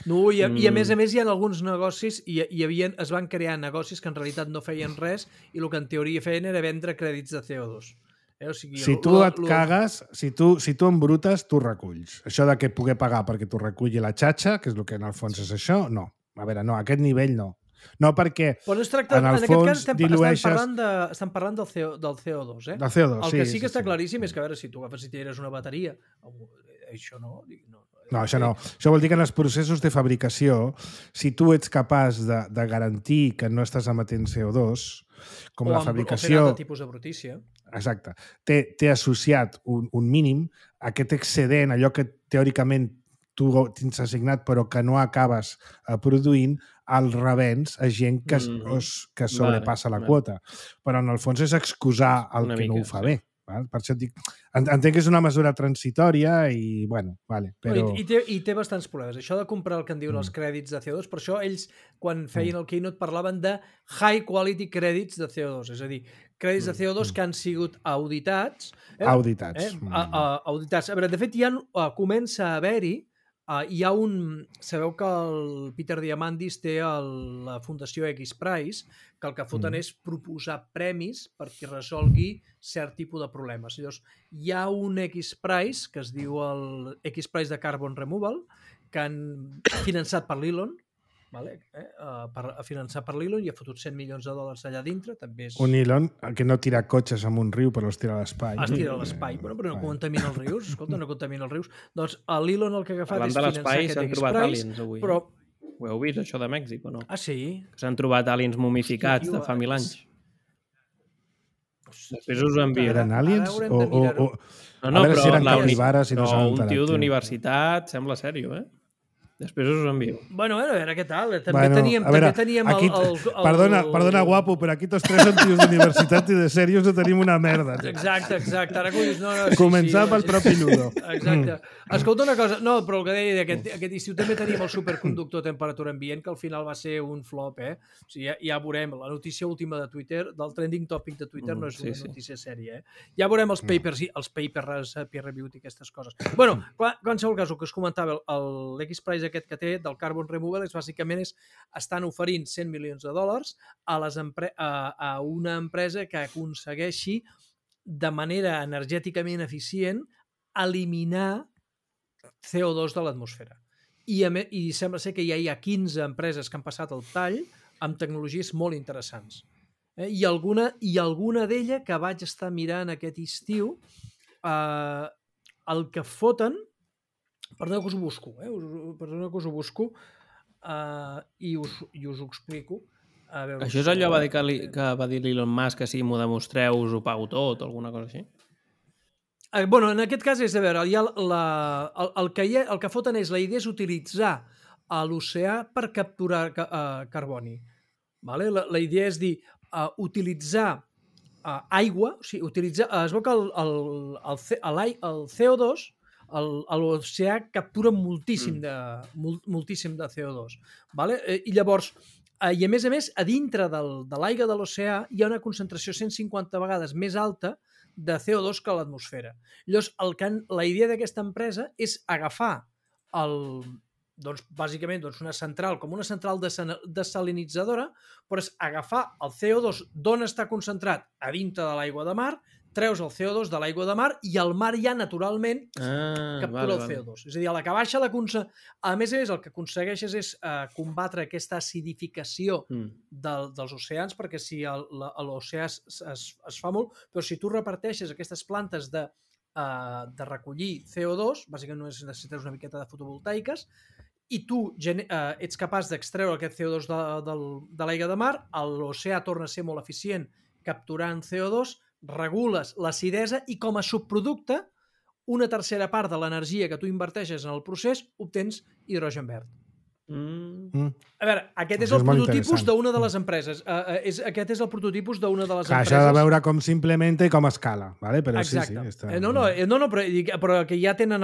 Speaker 3: No, i a més hi ha alguns negocis es van crear negocis que en realitat no feien res i el que en teoria feien era vendre crèdits de CO2. O sigui,
Speaker 2: Si tu et cagues, si tu embrutes, tu reculls. Això de que pugui pagar perquè t'ho reculli la xatxa, que és el que en el fons és això, no. A veure, no, a aquest nivell no. No perquè
Speaker 3: Però no es tracta,
Speaker 2: en el fons dilueixes...
Speaker 3: Estem parlant del CO2, eh?
Speaker 2: Del CO2,
Speaker 3: El que sí que està claríssim és que, a veure, si tu agafes i tires una bateria, això no...
Speaker 2: No, això no. Això vol dir que en els processos de fabricació, si tu ets capaç de garantir que no estàs emetent CO2, com la fabricació...
Speaker 3: O fent altre tipus de brutícia.
Speaker 2: Exacte. Té associat un mínim, aquest excedent, allò que teòricament tu tens assignat però que no acabes produint, el revens a gent que sobrepassa la quota. Però en el fons és excusar el que no ho fa bé. Val? Per això et dic, entenc que és una mesura transitòria i, bueno, vale, però...
Speaker 3: I té bastants problemes. Això de comprar el que en diuen els crèdits de CO2, per això ells, quan feien el Keynote, parlaven de high quality credits de CO2, és a dir, crèdits de CO2 que han sigut auditats.
Speaker 2: Auditats.
Speaker 3: Auditats. A veure, de fet, comença a haver-hi, hi ha un... Sabeu que el Peter Diamandis té la Fundació X-Prize, que el que foten és proposar premis per qui resolgui cert tipus de problemes. Llavors, hi ha un X-Prize, que es diu el X-Prize de Carbon Removal, que han finançat per l'Elon, vale? Finançat per l'Elon, i ha fotut $100 milions allà dintre. També és...
Speaker 2: Un Elon que no tira cotxes en un riu, però els tira a l'espai.
Speaker 3: Es tira a l'espai, però no contamina els rius. Escolta, no contamina els rius. Doncs l'Elon el que ha agafat és finançar aquest X-Prize.
Speaker 4: Trobat aliens avui.
Speaker 3: Però...
Speaker 4: Ho heu vist, això de Mèxic, o no?
Speaker 3: Ah, sí?
Speaker 4: S'han trobat aliens momificats de fa 1000 anys. Després us ho envio.
Speaker 2: Eren aliens?
Speaker 3: No,
Speaker 2: a veure si eren capibares i no s'han enterat.
Speaker 4: Un tio d'universitat, sembla sèrio, eh? Després us ho envio.
Speaker 3: Bueno, a veure què tal. També teníem
Speaker 2: aquí, perdona, guapo, però aquí tots tres són tios d'universitat i de sèrios no tenim una merda.
Speaker 3: Exacte. Ara que ho dius,
Speaker 2: començar pel propi Ludo.
Speaker 3: Exacte. Escolta una cosa, no, però el que deia, aquest estiu també teníem el superconductor a temperatura ambient, que al final va ser un flop, eh? O sigui, ja veurem, la notícia última de Twitter, del trending topic de Twitter, no és una notícia sèria, eh? Ja veurem els papers peer reviewed i aquestes coses. Bueno, qualsevol cas, el que us comentava, l'X-Prize aquest que té del Carbon Removal estan oferint $100 milions a una empresa que aconsegueixi de manera energèticament eficient eliminar CO2 de l'atmosfera. I sembla ser que ja hi ha 15 empreses que han passat el tall amb tecnologies molt interessants. I alguna d'ella que vaig estar mirant aquest estiu, el que foten... Perdoneu que us ho busco, i us ho explico.
Speaker 4: Això és allò que va dir l'Elon Musk, que si m'ho demostreu us ho pago tot o alguna cosa així?
Speaker 3: Bueno, en aquest cas és, a veure, el que foten és, la idea és utilitzar l'oceà per capturar carboni. La idea és dir, utilitzar aigua, o sigui, es veu que el CO2 l'oceà captura moltíssim de CO2. I llavors, i a més, a dintre de l'aigua de l'oceà hi ha una concentració 150 vegades més alta de CO2 que a l'atmosfera. Llavors, la idea d'aquesta empresa és agafar bàsicament una central, com una central desalinitzadora, però és agafar el CO2 d'on està concentrat a dintre de l'aigua de mar, treus el CO2 de l'aigua de mar i el mar ja naturalment captura el CO2. És a dir, a la que baixa a més, el que aconsegueixes és combatre aquesta acidificació dels oceans, perquè si l'oceà es fa molt, però si tu reparteixes aquestes plantes de recollir CO2, bàsicament necessites una miqueta de fotovoltaiques, i tu ets capaç d'extreure aquest CO2 de l'aigua de mar, l'oceà torna a ser molt eficient capturant CO2, regules l'acidesa i com a subproducte una tercera part de l'energia que tu inverteixes en el procés obtens hidrogen verd. A veure, aquest és el prototipus d'una de les empreses. Aquest és el prototipus d'una de les empreses.
Speaker 2: Això ha de veure com s'implementa i com escala, però
Speaker 3: exacte.
Speaker 2: Sí.
Speaker 3: Però que ja tenen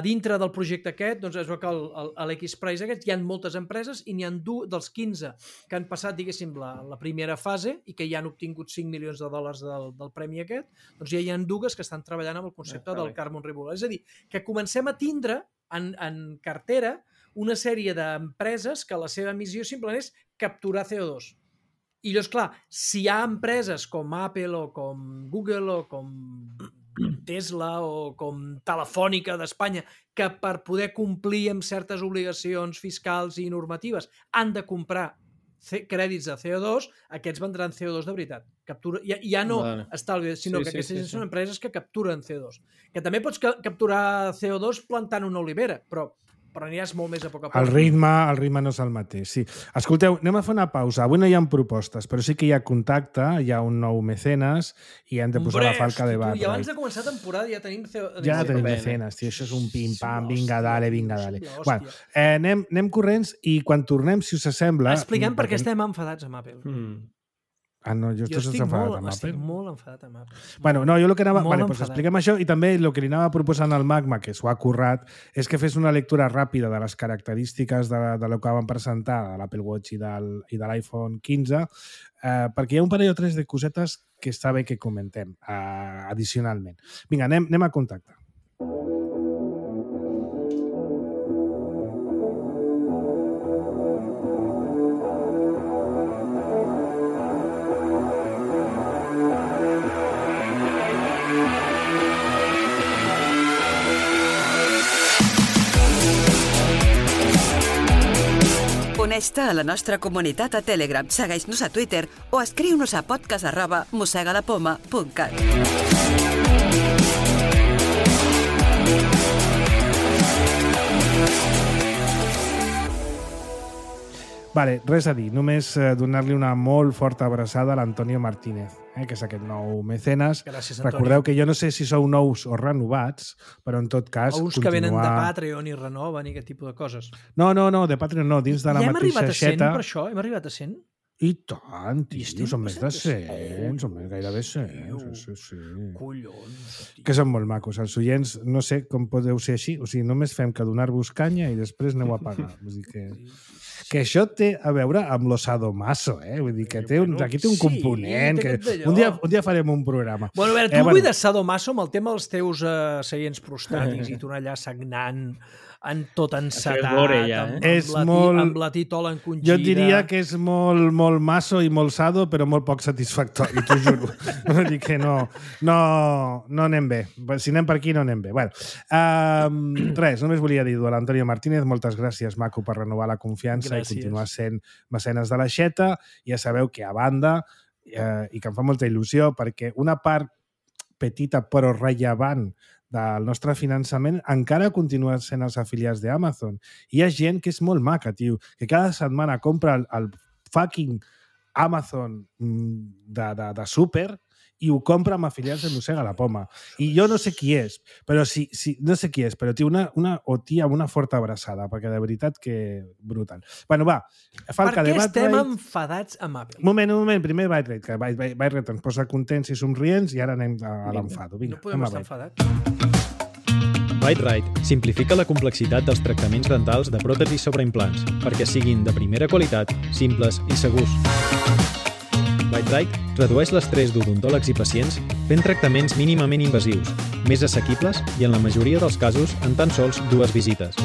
Speaker 3: dintre del projecte aquest, doncs es veu que a l'X-Prize aquest hi ha moltes empreses i n'hi ha dels 15 que han passat, diguéssim, la primera fase i que ja han obtingut $5 milions del premi aquest, doncs ja hi ha dues que estan treballant amb el concepte del Carbon Removal. És a dir, que comencem a tindre en cartera una sèrie d'empreses que la seva missió simplement és capturar CO2. I llavors, clar, si hi ha empreses com Apple o com Google o com Tesla o com Telefònica d'Espanya que per poder complir amb certes obligacions fiscals i normatives han de comprar crèdits de CO2, aquests vendran CO2 de veritat. Ja no estalvi, sinó que aquestes gent són empreses que capturen CO2. Que també pots capturar CO2 plantant una olivera, però aniràs molt més a poc a poc.
Speaker 2: El ritme no és el mateix, sí. Escolteu, anem a fer una pausa. Avui no hi ha propostes, però sí que hi ha contacte, hi ha un nou mecenes i hem de posar la falca de barra.
Speaker 3: I abans de començar temporada ja tenim...
Speaker 2: Ja tenim mecenes, tio. Això és un pim-pam, vinga, dale. Bueno, anem corrents i quan tornem, si us sembla...
Speaker 3: Expliquem per què estem enfadats amb Apple.
Speaker 2: Ah, no, jo estic
Speaker 3: molt enfadat amb Apple.
Speaker 2: Bueno, no, jo el que anava... Vale, doncs expliquem això i també el que li anava proposant al Magma, que s'ho ha currat, és que fes una lectura ràpida de les característiques de lo que van presentar de l'Apple Watch i de l'iPhone 15, perquè hi ha un parell o tres de cosetes que està bé que comentem addicionalment. Vinga, anem a contacte.
Speaker 6: Uneix-te a la nostra comunitat a Telegram, segueix-nos a Twitter o escriu-nos a podcast@mosegalapoma.cat.
Speaker 2: Vale, res a dir, només donar-li una molt forta abraçada a l'Antonio Martínez, que és aquest nou mecenes.
Speaker 3: Gràcies, Antonio.
Speaker 2: Recordeu que jo no sé si sou nous o renovats, però en tot cas...
Speaker 3: Uns que venen de Patreon i renoven i aquest tipus de coses.
Speaker 2: No, de Patreon no, dins de la mateixa xeta...
Speaker 3: Ja hem arribat a 100 per això? Hem arribat a 100?
Speaker 2: I tant, tio, són més de 100, són gairebé 100. Sí.
Speaker 3: Collons.
Speaker 2: Que són molt macos. Els oients, no sé com podeu ser així, o sigui, només fem que donar-vos canya i després aneu a pagar. Vull dir que això té a veure amb lo sadomaso, Vull dir que aquí té un component. Que un dia farem un programa.
Speaker 3: Bueno, a veure, tu vull de sadomaso amb el tema dels teus seients prostàtics i tu allà sagnant tot encetat, amb la titola encongida.
Speaker 2: Jo diria que és molt maso i molt sado, però molt poc satisfactori, t'ho juro. Vull dir que no anem bé. Si anem per aquí, no anem bé. Bueno, res, només volia dir-ho a l'Antonio Martínez, moltes gràcies, maco, per renovar la confiança i continuar sent mecenes de l'aixeta. Ja sabeu que a banda, i que em fa molta il·lusió, perquè una part petita però rellevant del nostre finançament encara continua sent els afiliats d'Amazon. Hi ha gent que és molt maca, tio, que cada setmana compra el fucking Amazon de súper i ho compra amb afiliats de Mossega la Poma. I jo no sé qui és, però tio, una tia amb una forta abraçada, perquè de veritat que brutal. Bueno, va, falca de Byte Rate.
Speaker 3: Per què estem enfadats amb Apple?
Speaker 2: Un moment, primer Byte Rate, que Byte Rate ens posa contents i somrients i ara anem a l'enfado.
Speaker 3: No podem estar enfadats.
Speaker 7: Byte Rate simplifica la complexitat dels tractaments dentals de pròtesis sobre implants perquè siguin de primera qualitat, simples i segurs. Byte Rate redueix l'estrès d'odontòlegs i pacients fent tractaments mínimament invasius, més assequibles i en la majoria dels casos en tan sols 2 visites.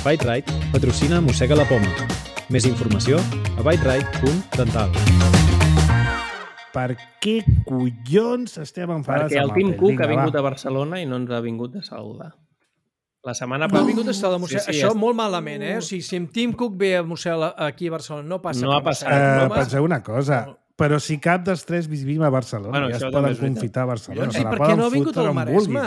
Speaker 7: Byte Rate patrocina Mossega la Poma. Més informació a byterate.dental.
Speaker 2: Per què collons estem enfadats
Speaker 4: amb Apple? Perquè el Tim Cook ha vingut
Speaker 2: a
Speaker 4: Barcelona i no ens ha vingut a saludar. La setmana
Speaker 3: passada... No ha vingut a saludar a Mossega. Això molt malament, O sigui, si en Tim Cook ve a Mossega aquí a Barcelona, no passa.
Speaker 4: No ha passat.
Speaker 2: Penseu una cosa, però si cap dels tres vivim a Barcelona, ja es poden confitar a Barcelona.
Speaker 3: Sí, per què no ha vingut al Maresme?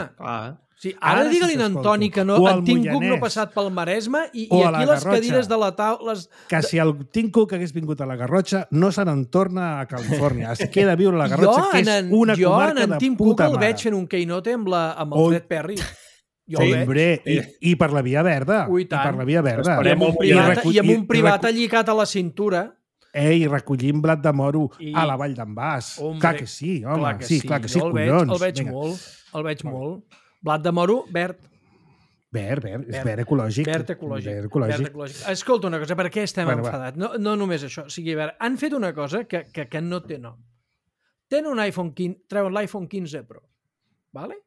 Speaker 3: Sí, ara digue-li a Antoni que no, en Tim Cook no ha passat pel Maresme i aquí les cadires de la taula...
Speaker 2: Que si el Tim Cook hagués vingut a la Garrotxa, no se n'en torna a Califòrnia. Es queda a viure a la Garrotxa, que és una comarca de puta mare.
Speaker 3: Jo en Tim Cook el veig fent un keynote amb el Fred Perry.
Speaker 2: I per la Via Verda.
Speaker 3: I per
Speaker 2: la Via Verda.
Speaker 3: I amb un privat allicat a la cintura.
Speaker 2: I recollint blat de moro a la Vall d'en Bas. Clar que sí, home. Clar que sí, collons.
Speaker 3: El veig molt. Blat de moro, verd.
Speaker 2: Verd, és verd ecològic.
Speaker 3: Verd ecològic. Escolta una cosa, per què estem enfadats? No només això. O sigui, han fet una cosa que no té nom. Tenen un iPhone 15, treuen l'iPhone 15 Pro. Vale?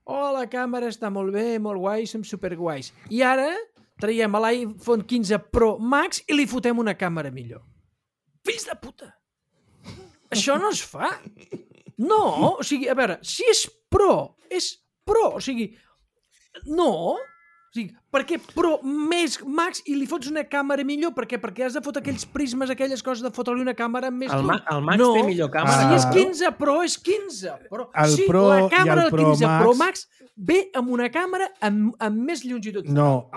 Speaker 3: La càmera està molt bé, molt guai, som superguais. I ara traiem l'iPhone 15 Pro Max i li fotem una càmera millor. Fills de puta! Això no es fa. No, o sigui, a veure, si és pro, o sigui, no, o sigui, perquè Pro més Max i li fots una càmera millor, per què? Perquè has de fotre aquells prismes, aquelles coses de fotre-li una càmera amb més
Speaker 4: El Max
Speaker 3: no.
Speaker 4: té millor càmera.
Speaker 3: Si és 15 Pro, és 15 Pro.
Speaker 2: El
Speaker 3: sí,
Speaker 2: Pro
Speaker 3: la
Speaker 2: i
Speaker 3: càmera
Speaker 2: el
Speaker 3: del
Speaker 2: Pro
Speaker 3: 15
Speaker 2: Max...
Speaker 3: Pro Max ve amb una càmera amb més longitud.
Speaker 2: No,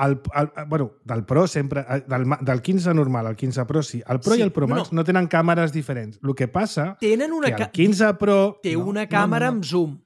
Speaker 2: bueno, del Pro sempre, del 15 normal al 15 Pro sí. El Pro
Speaker 3: Sí,
Speaker 2: i el Pro Max no tenen càmeres diferents. El que passa
Speaker 3: tenen una
Speaker 2: que el 15 Pro...
Speaker 3: té una càmera amb zoom.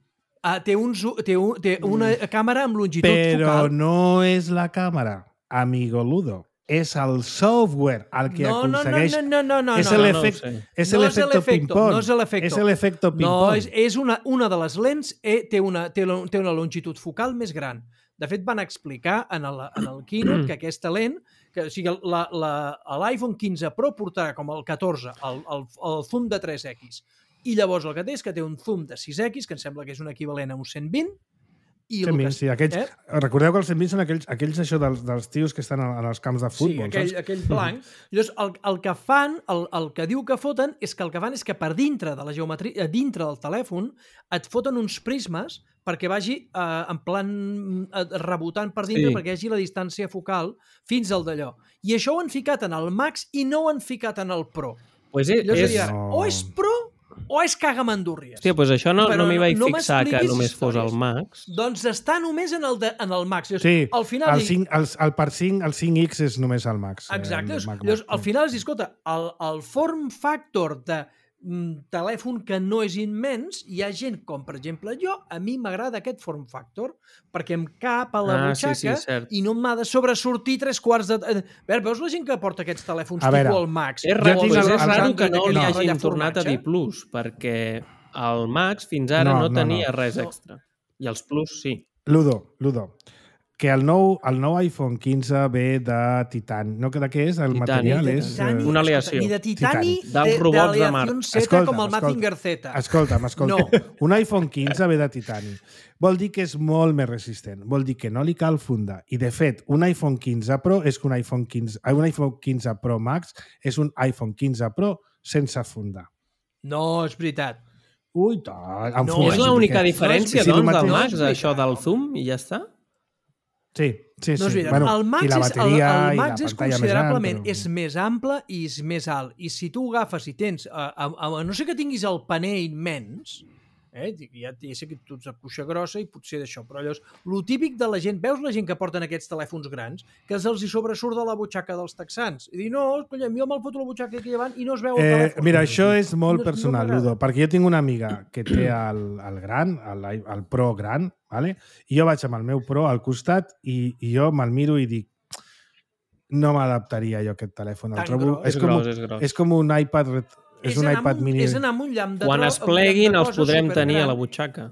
Speaker 3: Té una càmera amb longitud
Speaker 2: Però
Speaker 3: focal.
Speaker 2: no és la càmera, amigo Ludo. És el software el que aconsegueix...
Speaker 3: No.
Speaker 2: És l'efecte ping-pong.
Speaker 3: No és l'efecte.
Speaker 2: És l'efecte
Speaker 3: No,
Speaker 2: ping-pong.
Speaker 3: és una de les lents té una longitud focal més gran. De fet, van explicar en el keynote que aquesta lent, o sigui, l'iPhone 15 Pro portarà com el 14, el zoom de 3x. I llavors el que té és que té un zoom de 6x, que em sembla que és un equivalent a un 120, i
Speaker 2: 120, sí, aquells, recordeu que els 120 són aquells això dels tios que estan en els camps de futbol,
Speaker 3: sí, aquell blanc. Llavors, el que fan, el que diu que foten, és que el que fan és que per dintre de la geometria, dintre del telèfon, et foten uns prismes perquè vagi en plan rebotant per dintre, perquè hi hagi la distància focal fins al d'allò. I això ho han ficat en el Max i no ho han ficat en el Pro.
Speaker 4: Pues
Speaker 3: o és Pro o és cagamandúrries.
Speaker 4: Hòstia, doncs això no m'hi vaig fixar que només fos el Max.
Speaker 3: Doncs està només en el Max.
Speaker 2: Sí,
Speaker 3: al final
Speaker 2: el 5X és només el Max.
Speaker 3: Exacte. Llavors, al final es diu, escolta, el form factor de telèfon que no és immens, hi ha gent com, per exemple, jo, a mi m'agrada aquest form factor perquè em cap a la butxaca i no m'ha de sobresortir 3/4 de... Veus la gent que porta aquests telèfons tipus el Max?
Speaker 4: És raro que no li hagin tornat a dir Plus, perquè el Max fins ara no tenia res extra. I els Plus sí.
Speaker 2: Ludo, que el nou iPhone 15 ve de titani. No, de què és? El material és...
Speaker 4: Una aleació.
Speaker 3: Ni de titani,
Speaker 4: dels robots de Mart.
Speaker 3: Z com el Mazinger Z.
Speaker 2: Escolta'm. No. Un iPhone 15 ve de titani. Vol dir que és molt més resistent. Vol dir que no li cal fundar. I, de fet, un iPhone 15 Pro és que un iPhone 15 Pro Max és un iPhone 15 Pro sense fundar.
Speaker 3: No, és veritat.
Speaker 2: Ui, tant.
Speaker 4: No, és l'única diferència, doncs, del Max, això del zoom, i ja està?
Speaker 2: Sí.
Speaker 3: No,
Speaker 2: bueno,
Speaker 3: el Max,
Speaker 2: la bateria,
Speaker 3: el Max és considerablement
Speaker 2: més
Speaker 3: més ample i és més alt. I si tu agafes i tens, a no sé que tinguis el paner immens, ja sé que tu ets de cuixa grossa i potser d'això, però llavors, lo típic de la gent, veus la gent que porten aquests telèfons grans, que els hi sobresurt de la butxaca dels texans, i dir, no, colla, jo me'l foto la butxaca aquí davant i no es veu el telèfon.
Speaker 2: Mira, això és molt personal, Ludo, perquè jo tinc una amiga que té el gran, el Pro gran, vale? I jo vaig amb el meu Pro al costat i jo me'l miro i dic, no m'adaptaria jo a aquest telèfon.
Speaker 4: És gros.
Speaker 2: És com un iPad és un iPad mini.
Speaker 3: És anar amb un llamp de
Speaker 4: quan es pleguin els podrem tenir a la butxaca.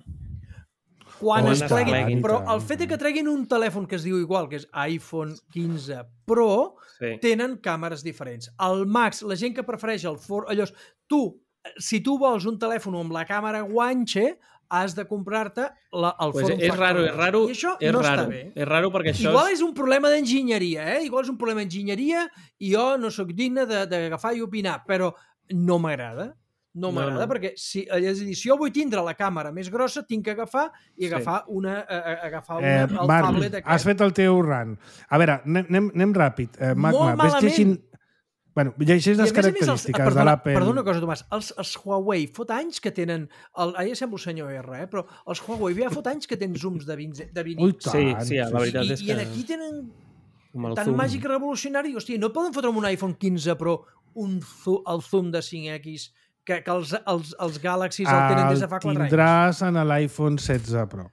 Speaker 3: Quan es pleguin. Però el fet que treguin un telèfon que es diu igual, que és iPhone 15 Pro, tenen càmeres diferents. El Max, la gent que prefereix el si tu vols un telèfon amb la càmera guanxe, has de comprar-te el form factor.
Speaker 4: És raro.
Speaker 3: I això no està bé.
Speaker 4: És raro perquè això...
Speaker 3: Igual és un problema d'enginyeria, Igual és un problema d'enginyeria i jo no sóc digne d'agafar i opinar, però no m'agrada. No m'agrada perquè si jo vull tindre la càmera més grossa, tinc que agafar el tablet aquest.
Speaker 2: Has fet el teu run. A veure, anem ràpid. Magma,
Speaker 3: molt malament.
Speaker 2: Bueno, llegeix les característiques de l'Apple.
Speaker 3: Perdona una cosa, Tomàs. Els Huawei fot anys que tenen... Ara ja sembla el senyor R, però els Huawei ja fot anys que tenen zooms de 20
Speaker 2: Ui, tant.
Speaker 4: Sí, la veritat és que...
Speaker 3: I aquí tenen tan màgic revolucionari. Hòstia, no poden fotre amb un iPhone 15 Pro el zoom de 5X que els Galaxies el tenen des de fa 4 anys.
Speaker 2: El tindràs en l'iPhone 16 Pro.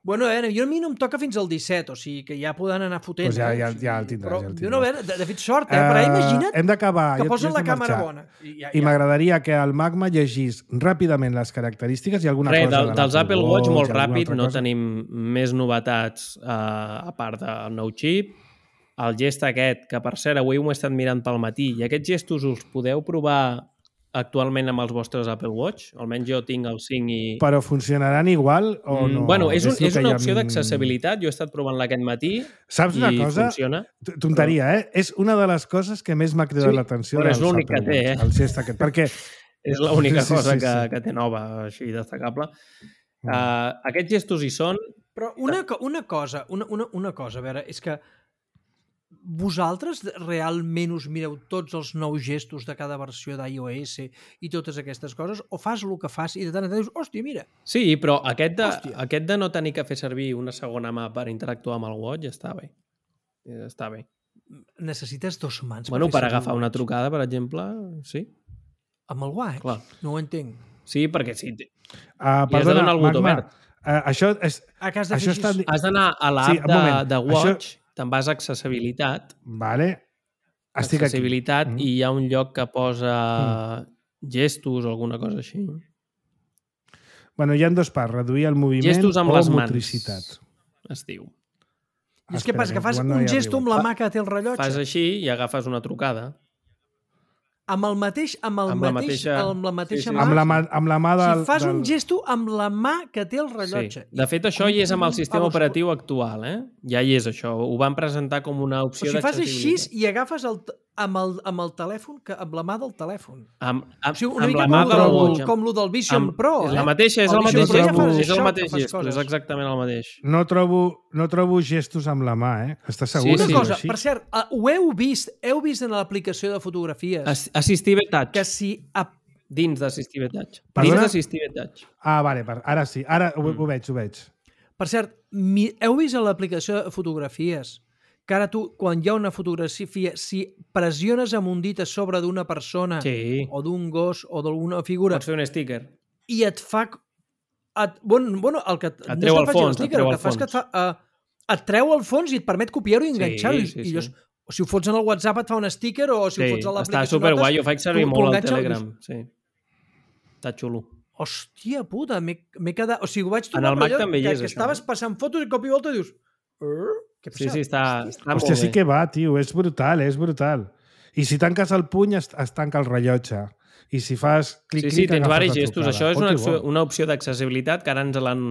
Speaker 3: Bueno, a mi no em toca fins al 17, o sigui que ja poden anar fotent.
Speaker 2: Pues ja el tindràs.
Speaker 3: Però, de fet, sort, però imagina't
Speaker 2: hem d'acabar,
Speaker 3: que posen la càmera bona.
Speaker 2: I m'agradaria que el Magma llegís ràpidament les característiques i alguna cosa de
Speaker 4: dels Apple Watch molt ràpid, no tenim més novetats a part del nou xip. El gest aquest, que per cert avui m'ho he estat mirant pel matí, i aquests gestos us podeu provar actualment amb els vostres Apple Watch. Almenys jo tinc el 5 i...
Speaker 2: Però funcionaran igual o no?
Speaker 4: Bueno, és
Speaker 2: el que
Speaker 4: una
Speaker 2: hi ha
Speaker 4: opció
Speaker 2: en-
Speaker 4: d'accessibilitat. Jo he estat provant-la aquest matí
Speaker 2: Saps una
Speaker 4: i
Speaker 2: cosa?
Speaker 4: funciona.
Speaker 2: Tonteria, És una de les coses que més m'ha cridat
Speaker 4: Sí,
Speaker 2: l'atenció
Speaker 4: però és
Speaker 2: dels
Speaker 4: l'únic que
Speaker 2: Apple
Speaker 4: té,
Speaker 2: Watch, el gest aquest, perquè...
Speaker 4: És l'única
Speaker 2: Sí,
Speaker 4: cosa
Speaker 2: sí, sí.
Speaker 4: que té nova, així destacable. Aquests gestos hi són.
Speaker 3: Però una cosa, a veure, és que vosaltres realment us mireu tots els nous gestos de cada versió d'iOS i totes aquestes coses, o fas el que fas i de tant en tant dius, hòstia, mira.
Speaker 4: Sí, però aquest
Speaker 3: Hòstia.
Speaker 4: de no tenir que fer servir una segona mà per interactuar amb el Watch està bé. Està bé.
Speaker 3: Necessites dos mans.
Speaker 4: Bueno,
Speaker 3: fer
Speaker 4: per
Speaker 3: servir
Speaker 4: agafar
Speaker 3: el
Speaker 4: una
Speaker 3: Watch.
Speaker 4: trucada, per exemple, sí.
Speaker 3: Amb el Watch?
Speaker 4: Clar.
Speaker 3: No ho entenc.
Speaker 4: Sí, perquè sí.
Speaker 2: Perdona,
Speaker 4: donar el botó
Speaker 2: Magma,
Speaker 4: verd.
Speaker 2: això és...
Speaker 3: Ah, que has de
Speaker 2: Això
Speaker 3: fer així.
Speaker 4: Has d'anar a l'app
Speaker 2: Sí, un moment.
Speaker 4: de Watch, te'n vas a accessibilitat,
Speaker 2: Vale. Estic aquí.
Speaker 4: accessibilitat i hi ha un lloc que posa gestos o alguna cosa així.
Speaker 2: Bueno, hi ha dos parts, reduir el moviment
Speaker 4: Gestos amb
Speaker 2: o
Speaker 4: les mans.
Speaker 2: motricitat.
Speaker 4: Es diu.
Speaker 3: I és que passa que fas
Speaker 2: igual no
Speaker 3: un
Speaker 2: hi
Speaker 3: gesto amb
Speaker 2: arribo.
Speaker 3: la mà que té el rellotge.
Speaker 4: Fas així i agafes una trucada.
Speaker 3: Amb el mateix, amb
Speaker 4: Amb la mateixa-
Speaker 3: mateixa
Speaker 4: sí, sí.
Speaker 3: mà.
Speaker 2: Amb la mà del...
Speaker 3: Si fas un
Speaker 2: del...
Speaker 3: gesto amb la mà que té el rellotge.
Speaker 4: Sí. De fet, això hi és amb el sistema operatiu actual, Ja hi és això. Ho van presentar com una
Speaker 3: O
Speaker 4: opció
Speaker 3: si fas així
Speaker 4: d'accessibilitat.
Speaker 3: i agafes amb el telèfon, amb la mà del telèfon.
Speaker 4: Amb
Speaker 3: O sigui, una
Speaker 4: amb
Speaker 3: mica
Speaker 4: la mà del Watch.
Speaker 3: com lo del Vision Pro,
Speaker 4: És la mateixa, és
Speaker 3: El
Speaker 4: el
Speaker 3: Vision
Speaker 4: mateix
Speaker 3: Pro ja
Speaker 4: gesto,
Speaker 3: fas
Speaker 4: és el
Speaker 3: això,
Speaker 4: mateix
Speaker 3: que fas
Speaker 4: gesto, és
Speaker 3: coses.
Speaker 4: exactament el mateix.
Speaker 2: No trobo gestos amb la mà, Estàs segur?
Speaker 4: Sí,
Speaker 3: Una
Speaker 4: sí.
Speaker 3: cosa,
Speaker 2: Així?
Speaker 3: per cert, ho heu vist en l'aplicació de fotografies
Speaker 4: Assistive Touch.
Speaker 3: que si
Speaker 4: Dins d'Assistive Touch.
Speaker 2: Perdona?
Speaker 4: Dins d'Assistive Touch.
Speaker 2: Vale, ara sí. Ara ho veig.
Speaker 3: Per cert, heu vist a l'aplicació de fotografies que ara tu, quan hi ha una fotografia, si pressiones amb un dit a sobre d'una persona
Speaker 4: Sí.
Speaker 3: o d'un gos o d'alguna figura
Speaker 4: Pots fer un sticker.
Speaker 3: i et fa... Bueno, el que...
Speaker 4: Et treu el fons,
Speaker 3: el que fa és que et fa... et treu el fons i et permet copiar-ho i enganxar-ho.
Speaker 4: Sí,
Speaker 3: I llavors,
Speaker 4: sí.
Speaker 3: o si ho fots en el WhatsApp et fa un sticker o si ho fots a
Speaker 4: està
Speaker 3: l'aplicació
Speaker 4: superguai,
Speaker 3: notes,
Speaker 4: jo faig servir
Speaker 3: tu
Speaker 4: molt al
Speaker 3: enganxes i
Speaker 4: Telegram.
Speaker 3: dius,
Speaker 4: Sí. Està xulo.
Speaker 3: hòstia puta, m'he quedat... O sigui, ho vaig
Speaker 4: En
Speaker 3: trobar
Speaker 4: el Mac
Speaker 3: allò
Speaker 4: també hi
Speaker 3: que
Speaker 4: és, això,
Speaker 3: estaves passant fotos i cop i volta i dius... Què
Speaker 4: Sí,
Speaker 3: passa?
Speaker 4: sí, està molt
Speaker 2: Hòstia,
Speaker 4: bé.
Speaker 2: sí que va, tio. És brutal. I si tanques el puny, es tanca el rellotge. I si fas clic,
Speaker 4: Sí, tens
Speaker 2: agafes
Speaker 4: diversos
Speaker 2: la
Speaker 4: gestos.
Speaker 2: trucada.
Speaker 4: Això és
Speaker 2: Que bo.
Speaker 4: una opció d'accessibilitat que ara ens l'han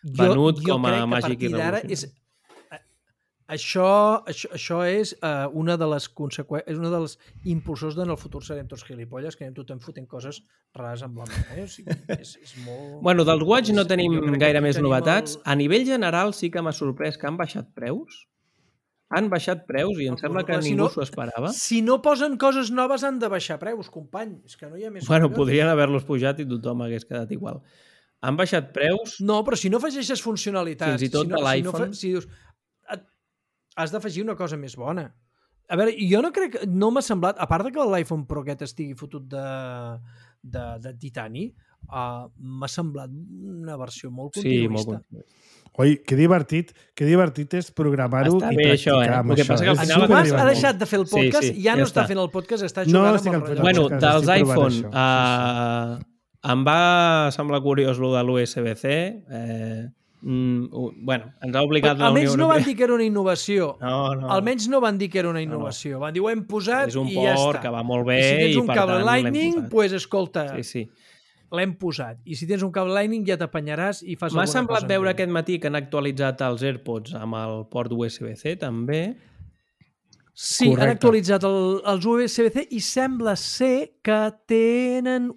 Speaker 4: venut com a Magic i Revolution.
Speaker 3: Això és una de les conseqüències, és una dels impulsors d'en el futur serem tots gilipolles, que anem tothom fotent coses rares amb la mà. O sigui, és molt...
Speaker 4: Bueno, dels Watch no tenim
Speaker 3: Jo crec que
Speaker 4: gaire
Speaker 3: aquí
Speaker 4: més
Speaker 3: tenim
Speaker 4: novetats. A nivell general sí que m'ha sorprès que han baixat preus. Han baixat preus i em sembla que
Speaker 3: Si
Speaker 4: ningú
Speaker 3: no-
Speaker 4: s'ho esperava.
Speaker 3: Si no posen coses noves han de baixar preus, company. És que no hi ha més...
Speaker 4: Bueno,
Speaker 3: collons.
Speaker 4: podrien haver-los pujat i tothom hagués quedat igual. Han baixat preus.
Speaker 3: No, però si no afegeixes funcionalitats...
Speaker 4: Fins i tot
Speaker 3: si no,
Speaker 4: de l'iPhone.
Speaker 3: Si dius, has d'afegir una cosa més bona. A veure, jo no crec... No m'ha semblat... A part de que l'iPhone Pro aquest estigui fotut de titani, m'ha semblat una versió molt
Speaker 4: Sí,
Speaker 3: continuista.
Speaker 4: molt.
Speaker 2: Oi, que divertit és programar-ho
Speaker 4: Està
Speaker 2: i
Speaker 4: bé això,
Speaker 2: practicar amb
Speaker 4: El que
Speaker 2: això.
Speaker 4: passa que al
Speaker 2: És
Speaker 4: final-
Speaker 3: En Tomàs ha
Speaker 2: superdivertit.
Speaker 3: deixat de fer el podcast,
Speaker 4: Sí, sí,
Speaker 3: ja no
Speaker 4: ja
Speaker 3: està
Speaker 4: està.
Speaker 3: fent el podcast, està
Speaker 2: No,
Speaker 3: jugant
Speaker 2: estic
Speaker 3: amb
Speaker 2: al
Speaker 3: el
Speaker 2: podcast.
Speaker 3: rellotge.
Speaker 4: Bueno,
Speaker 2: que
Speaker 4: dels
Speaker 2: estic provant
Speaker 4: iPhone,
Speaker 2: això.
Speaker 4: em va semblar curiós lo de l'USB-C. Bueno, ens ha obligat la Unió
Speaker 3: Almenys no van
Speaker 4: Europea.
Speaker 3: dir que era una innovació.
Speaker 4: No.
Speaker 3: Almenys no van dir que era una innovació. Van dir, ho hem posat
Speaker 4: És un
Speaker 3: i ja
Speaker 4: port
Speaker 3: està.
Speaker 4: que va molt bé
Speaker 3: I si tens
Speaker 4: i
Speaker 3: un
Speaker 4: per
Speaker 3: cable
Speaker 4: tant l'hem
Speaker 3: Lightning,
Speaker 4: posat.
Speaker 3: pues, escolta,
Speaker 4: Sí.
Speaker 3: l'hem posat. I si tens un cable Lightning ja t'apanyaràs i fas
Speaker 4: M'ha
Speaker 3: alguna
Speaker 4: semblat
Speaker 3: cosa
Speaker 4: veure
Speaker 3: amb ell.
Speaker 4: aquest matí que han actualitzat els AirPods amb el port USB-C també.
Speaker 3: Sí, han
Speaker 2: Correcte.
Speaker 3: actualitzat els USB-C i sembla ser que tenen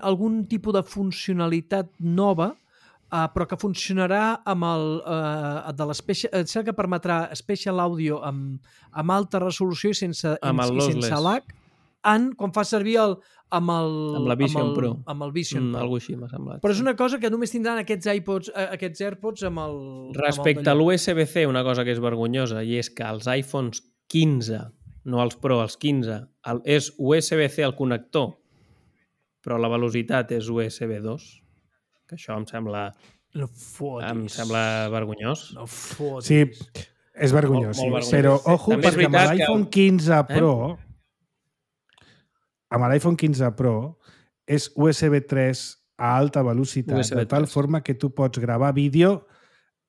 Speaker 3: algun tipus de funcionalitat nova, però que funcionarà amb de l'especial, que permetrà Special Audio amb alta resolució i sense
Speaker 4: lossless.
Speaker 3: lag, quan fa servir amb
Speaker 4: la Vision Pro.
Speaker 3: Amb el Vision Pro.
Speaker 4: Algo així m'ha semblat.
Speaker 3: Però és una cosa que només tindran aquests AirPods amb el...
Speaker 4: Respecte a l'USB-C, una cosa que és vergonyosa, i és que els iPhones 15, no els Pro, els 15, és USB-C al connector, però la velocitat és USB 2, que això em sembla vergonyós.
Speaker 3: No fotis.
Speaker 2: Sí, és vergonyós,
Speaker 4: Molt
Speaker 2: sí.
Speaker 4: vergonyós.
Speaker 2: Però, ojo,
Speaker 4: També és
Speaker 2: perquè amb
Speaker 4: veritat que-
Speaker 2: l'iPhone 15 Pro... Amb l'iPhone 15 Pro és USB 3 a alta velocitat,
Speaker 4: USB
Speaker 2: de tal
Speaker 4: 3.
Speaker 2: forma que tu pots gravar vídeo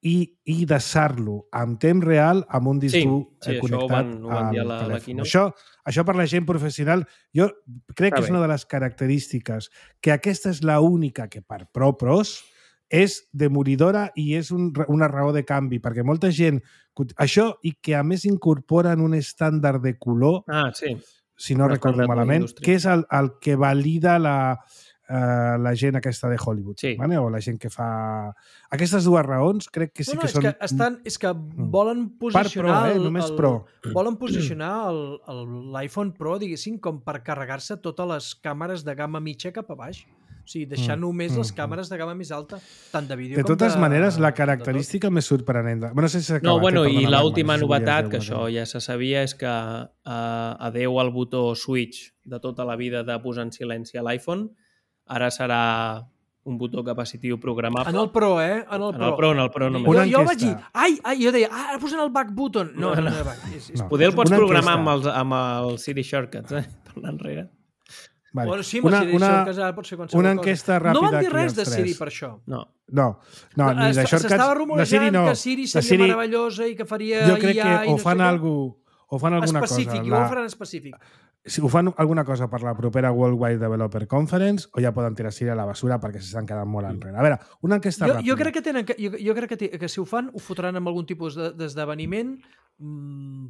Speaker 2: i desar-lo en temps real amb un disc dur connectat
Speaker 4: ho van dir a la
Speaker 2: telèfon.
Speaker 4: keynote.
Speaker 2: Això per la gent professional, jo crec que és una de les característiques, que aquesta és l'única que per pros és demoridora i és una raó de canvi, perquè molta gent... Això, i que a més incorporen un estàndard de color, si no recordo malament, que és el que valida la gent aquesta de Hollywood, vale? O la gent que fa... Aquestes dues raons crec que sí que són...
Speaker 3: És que volen posicionar...
Speaker 2: només pro.
Speaker 3: Volen posicionar l'iPhone Pro, diguéssim, com per carregar-se totes les càmeres de gamma mitja cap a baix. O sigui, deixar només les càmeres de gamma més alta, tant de vídeo com de...
Speaker 2: De totes maneres, la característica més sorprenent... No sé si s'ha acabat.
Speaker 4: I l'última novetat, que això ja se sabia, és que adeu al botó switch de tota la vida de posar en silenci a l'iPhone, ara serà un botó capacitiu programable.
Speaker 3: En el Pro, en el Pro només. Jo vaig dir, jo deia, ara posen el back button. No.
Speaker 4: Poder el pots programar amb el Siri Shortcuts, per anar enrere.
Speaker 2: Vale.
Speaker 3: Bueno, sí, amb el Siri Shortcuts ara pot ser qualsevol
Speaker 2: una enquesta
Speaker 3: cosa.
Speaker 2: ràpida.
Speaker 3: No van dir res de Siri per això.
Speaker 2: No, ni de Shortcuts.
Speaker 3: S'estava rumorejant que Siri seria meravellosa i que faria IA.
Speaker 2: Jo crec que o fan alguna cosa.
Speaker 3: Específic, ho faran específic.
Speaker 2: Si ho fan alguna cosa per la propera Worldwide Developer Conference o ja poden tirar Siri a la basura perquè s'estan quedant molt enrere. A veure, una enquesta ràpida.
Speaker 3: Jo crec que si ho fan, ho fotran amb algun tipus d'esdeveniment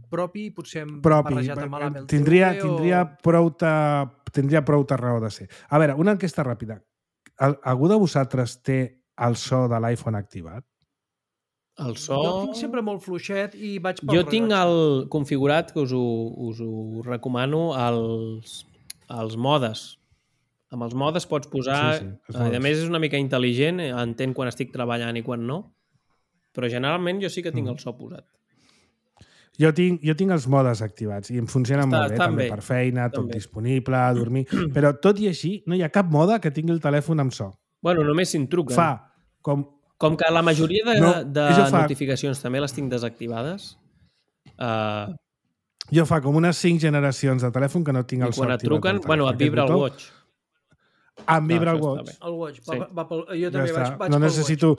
Speaker 3: propi, potser barrejat amb l'Amel
Speaker 2: tindria prou raó de ser. A veure, una enquesta ràpida. Algú de vosaltres té el so de l'iPhone activat?
Speaker 4: El so...
Speaker 3: Jo tinc sempre molt fluixet i vaig pel
Speaker 4: Jo tinc el configurat, que us ho recomano, els modes. Amb els modes pots posar... A més, és una mica intel·ligent, entén quan estic treballant i quan no, però generalment jo sí que tinc el so posat.
Speaker 2: Jo tinc els modes activats i em funcionen molt bé, també per feina, tot disponible, dormir... Però tot i així, no hi ha cap mode que tingui el telèfon amb so.
Speaker 4: Bueno, només si em truquen.
Speaker 2: Fa
Speaker 4: com que la majoria de notificacions també les tinc desactivades.
Speaker 2: Jo fa com unes 5 generacions de telèfon que no tinc el so activat.
Speaker 4: I quan et truquen, et vibra el Watch.
Speaker 2: Em vibra el Watch.
Speaker 3: El Watch. Jo també vaig pel
Speaker 2: No necessito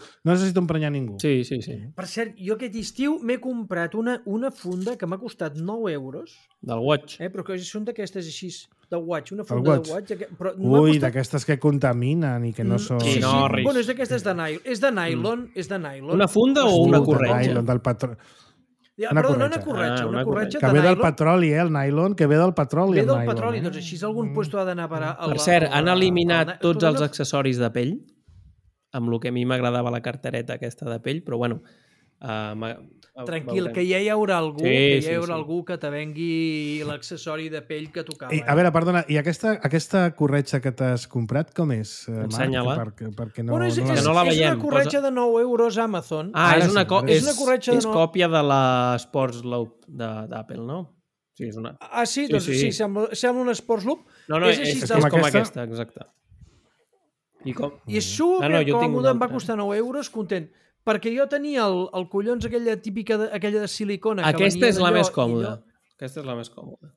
Speaker 2: emprenyar ningú.
Speaker 4: Sí.
Speaker 3: Per cert, jo aquest estiu m'he comprat una funda que m'ha costat 9 euros.
Speaker 4: Del Watch.
Speaker 3: Però que són d'aquestes així, de Watch, una funda de Watch.
Speaker 2: Ui, d'aquestes que contaminen i que no són...
Speaker 3: Sí. Bueno, és d'aquestes de nylon. És de nylon.
Speaker 4: Una funda o una corretja?
Speaker 2: Del patró.
Speaker 3: Perdó, no una corretja, una corretja de
Speaker 2: nylon. Que ve del petroli, el nylon, que ve del petroli.
Speaker 3: Ve del petroli, doncs així algun puesto ha d'anar a parar...
Speaker 4: Per cert, han eliminat tots els accessoris de pell, amb el que a mi m'agradava la cartereta aquesta de pell, però bueno...
Speaker 3: Tranquil, que ja hi haurà algú que te vengui l'accessori de pell que tocava.
Speaker 2: A veure, perdona, i aquesta corretja que t'has comprat, com és?
Speaker 4: Ensenya-la.
Speaker 2: Perquè
Speaker 3: no la veiem. És una corretja de 9 euros a Amazon.
Speaker 4: És còpia de la Sports Loop d'Apple, no? Sí, és una...
Speaker 3: Sí, sembla una Sports Loop.
Speaker 4: No, és com aquesta, exacte.
Speaker 3: I és supercòmode, em va costar 9 euros, content. Perquè jo tenia el collons aquella típica, aquella de silicona.
Speaker 4: Aquesta és la més còmoda. Aquesta és la més còmoda.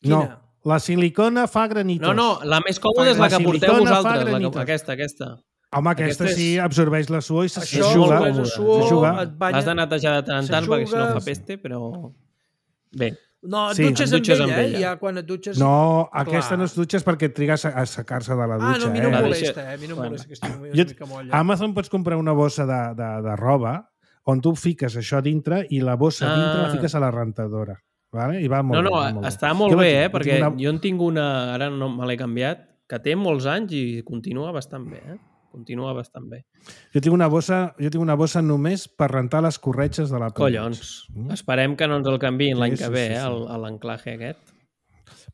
Speaker 2: No, la silicona fa granitos.
Speaker 4: No, la més còmoda és la que porteu vosaltres. Aquesta.
Speaker 2: Home, aquesta sí absorbeix la suor i
Speaker 3: s'aixuga.
Speaker 4: L'has de netejar de tant en tant perquè si no fa peste, però... Bé.
Speaker 3: No, et dutxes amb ella, ja quan et dutxes...
Speaker 2: No, aquesta no es dutxes perquè trigues a secar-se de la dutxa.
Speaker 3: No, a mi no em molesta, a mi no em molesta que estigui una mica molla.
Speaker 2: A Amazon pots comprar una bossa de roba on tu fiques això dintre i la bossa dintre la fiques a la rentadora. Vale? I va molt bé.
Speaker 4: No, està molt bé, perquè jo en tinc una, ara no me l'he canviat, que té molts anys i continua bastant bé, Continua bastant bé.
Speaker 2: Jo tinc una bossa només per rentar les corretges de la Apple.
Speaker 4: Collons. Esperem que no ens el canviïn l'any que ve, l'anclaje aquest.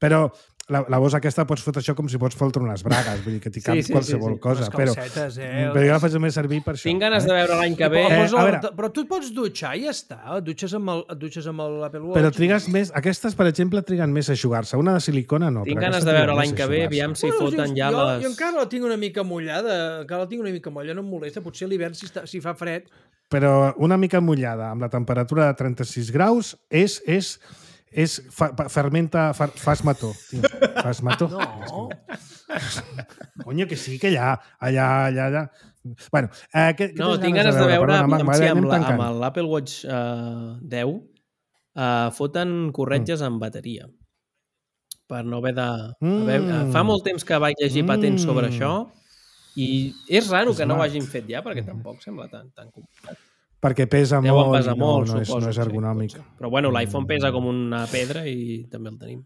Speaker 2: Però la bossa aquesta pots fotre això com si pots fotre unes bragues, vull dir que t'hi cap qualsevol cosa. Però jo la faig més servir per això.
Speaker 4: Tinc ganes de veure l'any que ve.
Speaker 3: Però tu et pots dutxar i ja està. Et dutxes amb l'Apple Watch.
Speaker 2: Però trigues més... Aquestes, per exemple, triguen més a eixugar-se. Una de silicona no.
Speaker 4: Tinc ganes de veure l'any que ve, aviam si foten ja les...
Speaker 3: Jo encara la tinc una mica mollada. No em molesta. Potser a l'hivern, si fa fred...
Speaker 2: Però una mica mullada, amb la temperatura de 36 graus, fermenta, fas mató. Fas mató.
Speaker 3: No.
Speaker 2: Coño, que sí, que allà. Bueno, què
Speaker 4: No,
Speaker 2: tens
Speaker 4: tinc ganes de veure
Speaker 2: Perdona,
Speaker 4: si
Speaker 2: anem
Speaker 4: amb
Speaker 2: tancant.
Speaker 4: l'Apple Watch 10 foten corretges amb bateria per no haver de... Fa molt temps que vaig llegir patents sobre això i és raro que no ho hagin fet ja, perquè tampoc sembla tan complicat.
Speaker 2: Perquè pesa
Speaker 4: Deuen
Speaker 2: molt
Speaker 4: pesar
Speaker 2: i
Speaker 4: molt,
Speaker 2: no
Speaker 4: suposo.
Speaker 2: és ergonòmic.
Speaker 4: Sí, però bueno, l'iPhone pesa com una pedra i també el tenim.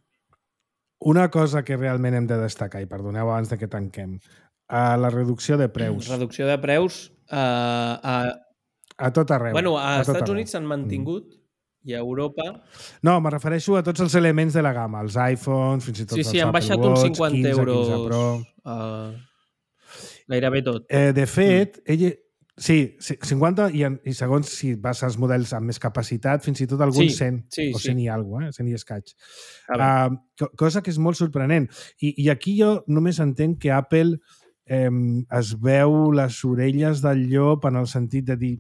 Speaker 2: Una cosa que realment hem de destacar, i perdoneu abans de que tanquem, la reducció de preus.
Speaker 4: Reducció de preus
Speaker 2: A tot arreu.
Speaker 4: Bueno, a
Speaker 2: tot
Speaker 4: Estats
Speaker 2: arreu.
Speaker 4: Units s'han mantingut i a Europa...
Speaker 2: No, me refereixo a tots els elements de la gamma, els iPhones, fins i tot els
Speaker 4: Sí, han
Speaker 2: Apple
Speaker 4: baixat
Speaker 2: Watch,
Speaker 4: uns 50
Speaker 2: 15,
Speaker 4: euros
Speaker 2: 15 Pro.
Speaker 4: gairebé tot.
Speaker 2: De fet, sí, 50 i segons si vas als models amb més capacitat, fins i tot alguns 100 o 100 i alguna cosa, 100 i escaig. Cosa que és molt sorprenent. I aquí jo només entenc que Apple es veu les orelles del llop en el sentit de dir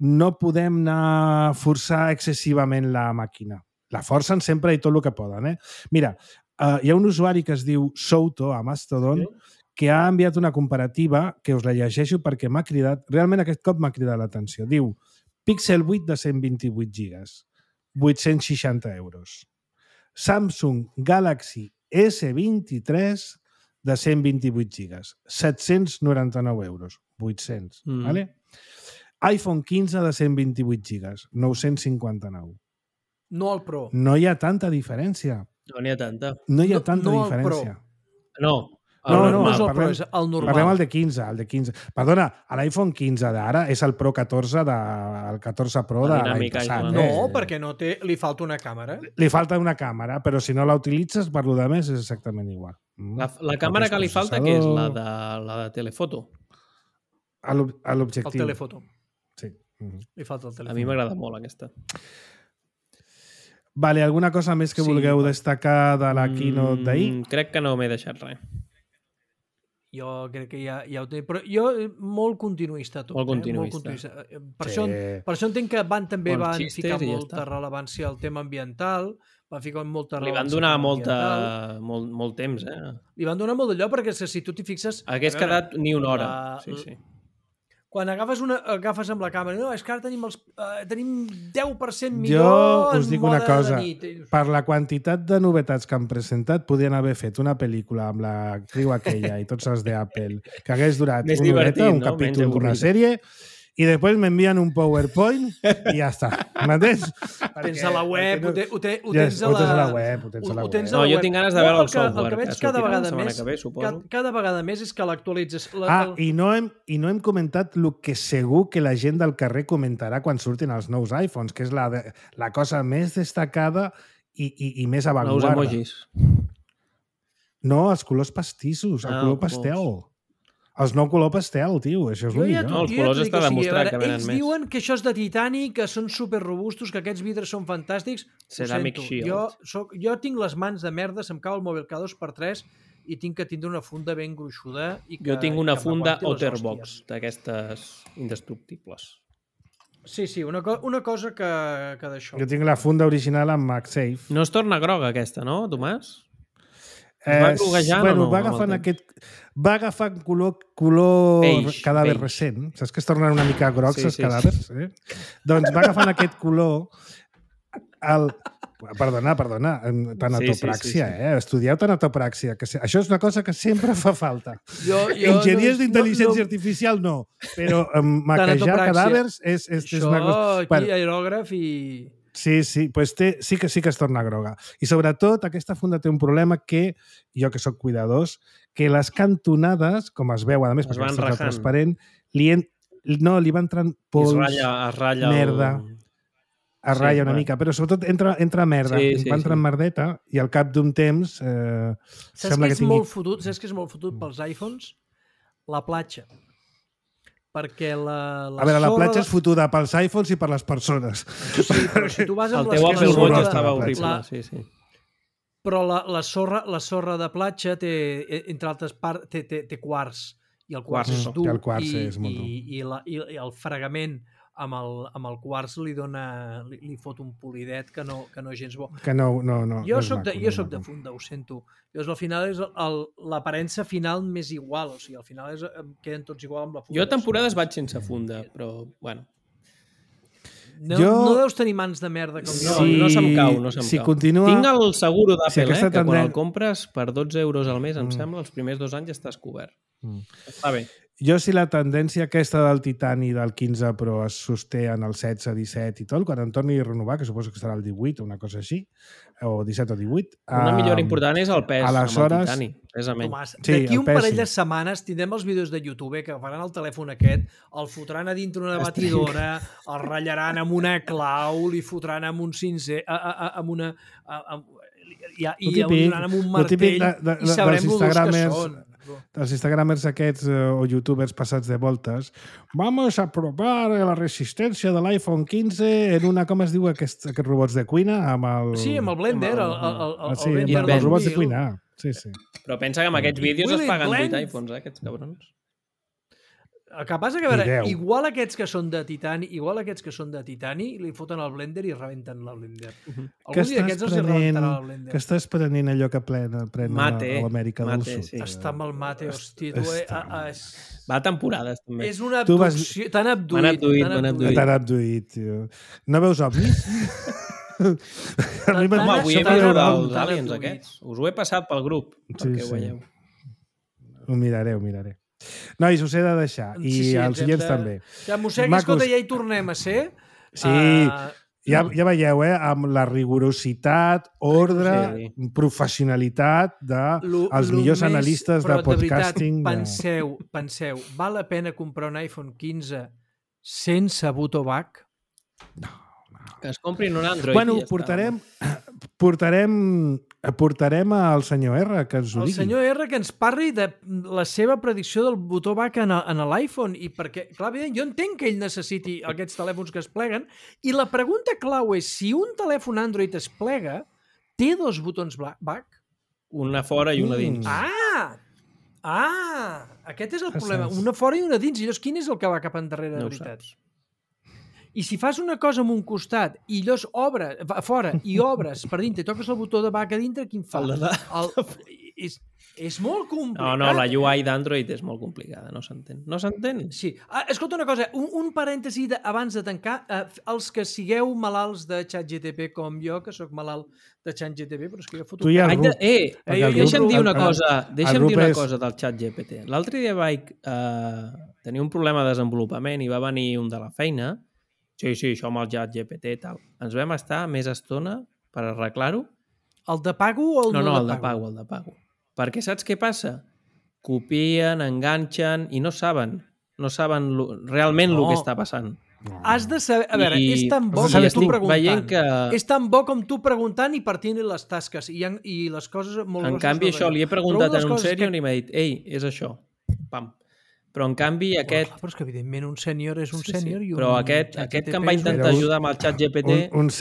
Speaker 2: no podem anar a forçar excessivament la màquina. La forcen sempre i tot el que poden. Mira, hi ha un usuari que es diu Souto a Mastodon que ha enviat una comparativa que us la llegeixo perquè m'ha cridat, realment aquest cop m'ha cridat l'atenció. Diu, Pixel 8 de 128 gigas, 860 euros. Samsung Galaxy S23 de 128 gigas, 799 euros, 800, ¿vale? iPhone 15 de 128 gigas, 959.
Speaker 3: No el Pro.
Speaker 2: No hi ha tanta diferència.
Speaker 4: No n'hi ha tanta.
Speaker 2: No hi ha tanta
Speaker 3: no el
Speaker 2: diferència.
Speaker 4: No.
Speaker 3: No és el Pro, és el normal.
Speaker 2: Parlem el de 15. Perdona, l'iPhone 15 d'ara és el Pro 14 el 14 Pro de l'any passat.
Speaker 3: No, perquè li falta una càmera.
Speaker 2: Li falta una càmera, però si no la utilitzes, per lo de més és exactament igual.
Speaker 4: La càmera que li falta, que és la de telefoto?
Speaker 2: A l'objectiu.
Speaker 3: El telefoto.
Speaker 2: Sí.
Speaker 3: Li falta el telefoto.
Speaker 4: A mi m'agrada molt aquesta.
Speaker 2: Vale, alguna cosa més que vulgueu destacar de la keynote d'ahir?
Speaker 4: Crec que no m'he deixat res.
Speaker 3: Jo crec que ja ho té. Però jo, molt continuista tot.
Speaker 4: Molt continuista.
Speaker 3: Molt continuista. Per això entenc que també van ficar molta rellevància al tema ambiental, van ficar molta rellevància.
Speaker 4: Li van donar molt temps,
Speaker 3: Li van donar molt d'allò, perquè si tu t'hi fixes...
Speaker 4: Hagués quedat ni una hora. Sí.
Speaker 3: Quan agafes amb la càmera, no, és que ara tenim 10% millor
Speaker 2: jo us dic una cosa,
Speaker 3: de nit.
Speaker 2: Per la quantitat de novetats que han presentat, podien haver fet una pel·lícula amb l'actriu aquella i tots els d'Apple, que hagués durat una horeta, un capítol d'una sèrie, i després m'envien un PowerPoint i ja està. M'entens?
Speaker 3: Ho tens a la web, ho tens a
Speaker 2: la web.
Speaker 4: No, jo tinc ganes de veure el software.
Speaker 3: El que veig cada vegada més és que l'actualitzes...
Speaker 2: I no hem comentat el que segur que la gent del carrer comentarà quan surtin els nous iPhones, que és la cosa més destacada i més avantguarda.
Speaker 4: Nous emojis.
Speaker 2: No, els colors pastissos, el color pastel. Els nou color pastel, tio, això és el millor.
Speaker 4: No, els colors està demostrat que venen més.
Speaker 3: Ells diuen que això és de titani, que són superrobustos, que aquests vidres són fantàstics.
Speaker 4: Ceramic Shield.
Speaker 3: Jo tinc les mans de merda, se'm cau el mòbil cada 2x3 i tinc que tindre una funda ben gruixuda.
Speaker 4: Jo tinc una funda Otterbox, d'aquestes indestructibles.
Speaker 3: Sí, una cosa que d'això.
Speaker 2: Jo tinc la funda original amb MagSafe.
Speaker 4: No es torna groga aquesta, no, Tomàs? Va groguejant o no?
Speaker 2: Va agafar color cadàver recent. Saps que es tornen una mica grocs els cadàvers? Doncs va agafant aquest color... Perdona, tanatopràxia, Estudieu tanatopràxia. Això és una cosa que sempre fa falta. Enginyers d'intel·ligència artificial no, però maquejar cadàvers és una cosa...
Speaker 3: Això, aquí, aerògraf i...
Speaker 2: Sí, pues sí que es torna groga. I sobretot aquesta funda té un problema que, jo que sóc cuidadós, que les cantonades, com es veu, a més, perquè està transparent, li va entrant pols, merda, es ratlla una mica, però sobretot entra merda, va entrant merdeta i al cap d'un temps sembla que tingui...
Speaker 3: Saps que és molt fotut pels iPhones? La platja. Perquè
Speaker 2: la platja és fotuda pels iPhones i per les persones.
Speaker 3: Sí, però si tu vas amb
Speaker 4: el teu Apple Watch estava horrible. Sí.
Speaker 3: Però la sorra de platja té, entre altres parts, té quars. I el quars és dur.
Speaker 2: El quars és molt dur.
Speaker 3: I el fregament amb el quars li fot un polidet que no gens bo.
Speaker 2: Que no
Speaker 3: Jo
Speaker 2: és
Speaker 3: soc
Speaker 2: maco.
Speaker 3: de Funda, ho sento. Llavors, al final és l'aparença final més igual, o sigui, al final queden tots igual amb la funda.
Speaker 4: Jo temporades vaig sense funda, però, bueno.
Speaker 3: No deus tenir mans de merda com jo.
Speaker 4: No se'm cau.
Speaker 2: Si continua...
Speaker 4: Tinc el seguro d'Apple, que quan el compres per 12 euros al mes, em sembla, els primers 2 anys estàs cobert. Està bé.
Speaker 2: Jo, si la tendència aquesta del Titani del 15 Pro es sosté en el 16, 17 i tot, quan em torni a renovar, que suposo que serà el 18 o una cosa així, o 17 o 18...
Speaker 4: Una millora important és el pes amb el Titani, precisament.
Speaker 3: Tomàs, d'aquí un parell de setmanes tindrem els vídeos de YouTube que faran el telèfon aquest, el fotran a dintre una batidora, el ratllaran amb una clau, li fotran amb un cincer, amb una... i el donaran amb un martell i sabrem els que són.
Speaker 2: Els instagramers aquests o youtubers passats de voltes, vamos a probar la resistència de l'iPhone 15 en una, com es diu, aquests robots de cuina? Amb el
Speaker 3: Blender.
Speaker 2: Amb els robots de cuina. Sí.
Speaker 4: Però pensa que amb aquests vídeos es paguen 8 iPhones, aquests cabrons.
Speaker 3: El que passa que, a veure, igual aquests que són de titani, li foten al blender i rebenten la blender. Algun dia aquests els rebentarà la blender.
Speaker 2: Que estàs prenent allò que pren a l'Amèrica del Sud.
Speaker 3: Sí. Està amb el mate, hòstia.
Speaker 4: Va a temporades, també.
Speaker 3: És una abducció. T'han
Speaker 4: abduït.
Speaker 2: No veus ovnis?
Speaker 4: Home, avui he vist els aliens aquests. Us ho he passat pel grup, perquè ho veieu.
Speaker 2: Ho miraré. Nois, us he de deixar. I els oients també.
Speaker 3: Ja, mossegui, escolta, ja hi tornem a ser.
Speaker 2: Sí, ja veieu, amb la rigorositat, ordre, professionalitat dels millors analistes de podcasting.
Speaker 3: Però, de veritat, penseu, val la pena comprar un iPhone 15 sense Butovac?
Speaker 2: No.
Speaker 4: Que es comprin un Android.
Speaker 2: Bueno, portarem al senyor R que ens ho digui.
Speaker 3: El senyor R que ens parli de la seva predicció del botó back en l'iPhone, i perquè, clar, jo entenc que ell necessiti aquests telèfons que es pleguen, i la pregunta clau és, si un telèfon Android es plega, té 2 botons back?
Speaker 4: Una fora i una dins.
Speaker 3: Aquest és el problema. Una fora i una dins. I llavors, quin és el que va cap endarrere, de veritat? I si fas una cosa amb un costat i llavors obres fora i obres per dintre i toques el botó de back a dintre, quin fa? És molt complicat.
Speaker 4: No, la UI d'Android és molt complicada, no s'entén.
Speaker 3: Sí. Escolta una cosa, un parèntesi abans de tancar. Els que sigueu malalts de ChatGPT com jo, que sóc malalt de ChatGPT, però és que jo foto... Deixa'm dir una cosa del ChatGPT. L'altre dia vaig tenir un problema de desenvolupament i va venir un de la feina. Sí, això amb el ChatGPT i tal. Ens vam estar més estona per arreglar-ho. El de pago o el
Speaker 4: no de pago? El de pago. Perquè saps què passa? Copien, enganxen i no saben realment el que està passant.
Speaker 3: Has de saber... A veure, és tan bo com tu preguntant. És tan bo com tu preguntant i partint les tasques i les coses molt grosses.
Speaker 4: En canvi, això li he preguntat en un sènior i m'ha dit és això. Pam. Però, en canvi, aquest...
Speaker 3: Però és que, evidentment, un sènior és un sènior.
Speaker 4: Però aquest que em va intentar ajudar amb el ChatGPT...
Speaker 2: Un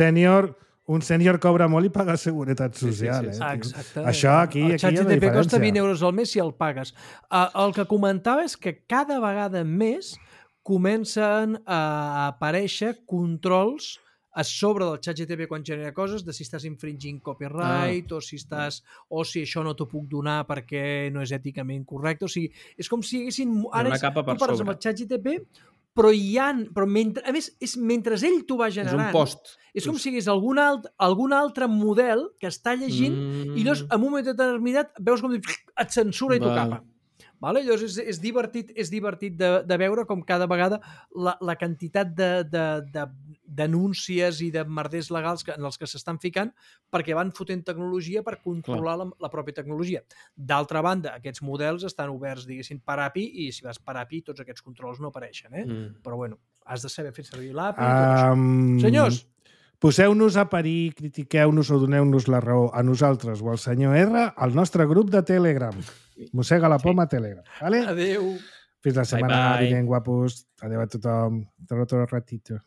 Speaker 2: sènior cobra molt i paga seguretat social.
Speaker 3: Exacte.
Speaker 2: Això aquí hi ha diferència.
Speaker 3: El ChatGPT costa 20 euros al mes si el pagues. El que comentava és que cada vegada més comencen a aparèixer controls a sobre del ChatGPT quan genera coses de si estàs infringint copyright o si això no t'ho puc donar perquè no és èticament correcte. O sigui, és com si haguessin...
Speaker 4: Ara tu
Speaker 3: parles amb el ChatGPT, però a més, mentre ell t'ho va generant...
Speaker 4: És un post.
Speaker 3: És com si hi hagués algun altre model que està llegint i llavors, en un moment determinat, veus com et censura i t'ho capa. Vale? Llavors és divertit de veure com cada vegada la quantitat de denúncies i de merders legals en els que s'estan ficant perquè van fotent tecnologia per controlar la pròpia tecnologia. D'altra banda, aquests models estan oberts, diguéssim, per API, i si vas per API tots aquests controls no apareixen. Però bueno, has de saber fer servir l'API i tot això. Senyors,
Speaker 2: poseu-nos a parir, critiqueu-nos o doneu-nos la raó a nosaltres o al senyor R al nostre grup de Telegram. Mossega la poma a Telegram. Vale?
Speaker 3: Adéu.
Speaker 2: Fins la setmana vinent, guapos. Adéu a tothom. Tot ratito.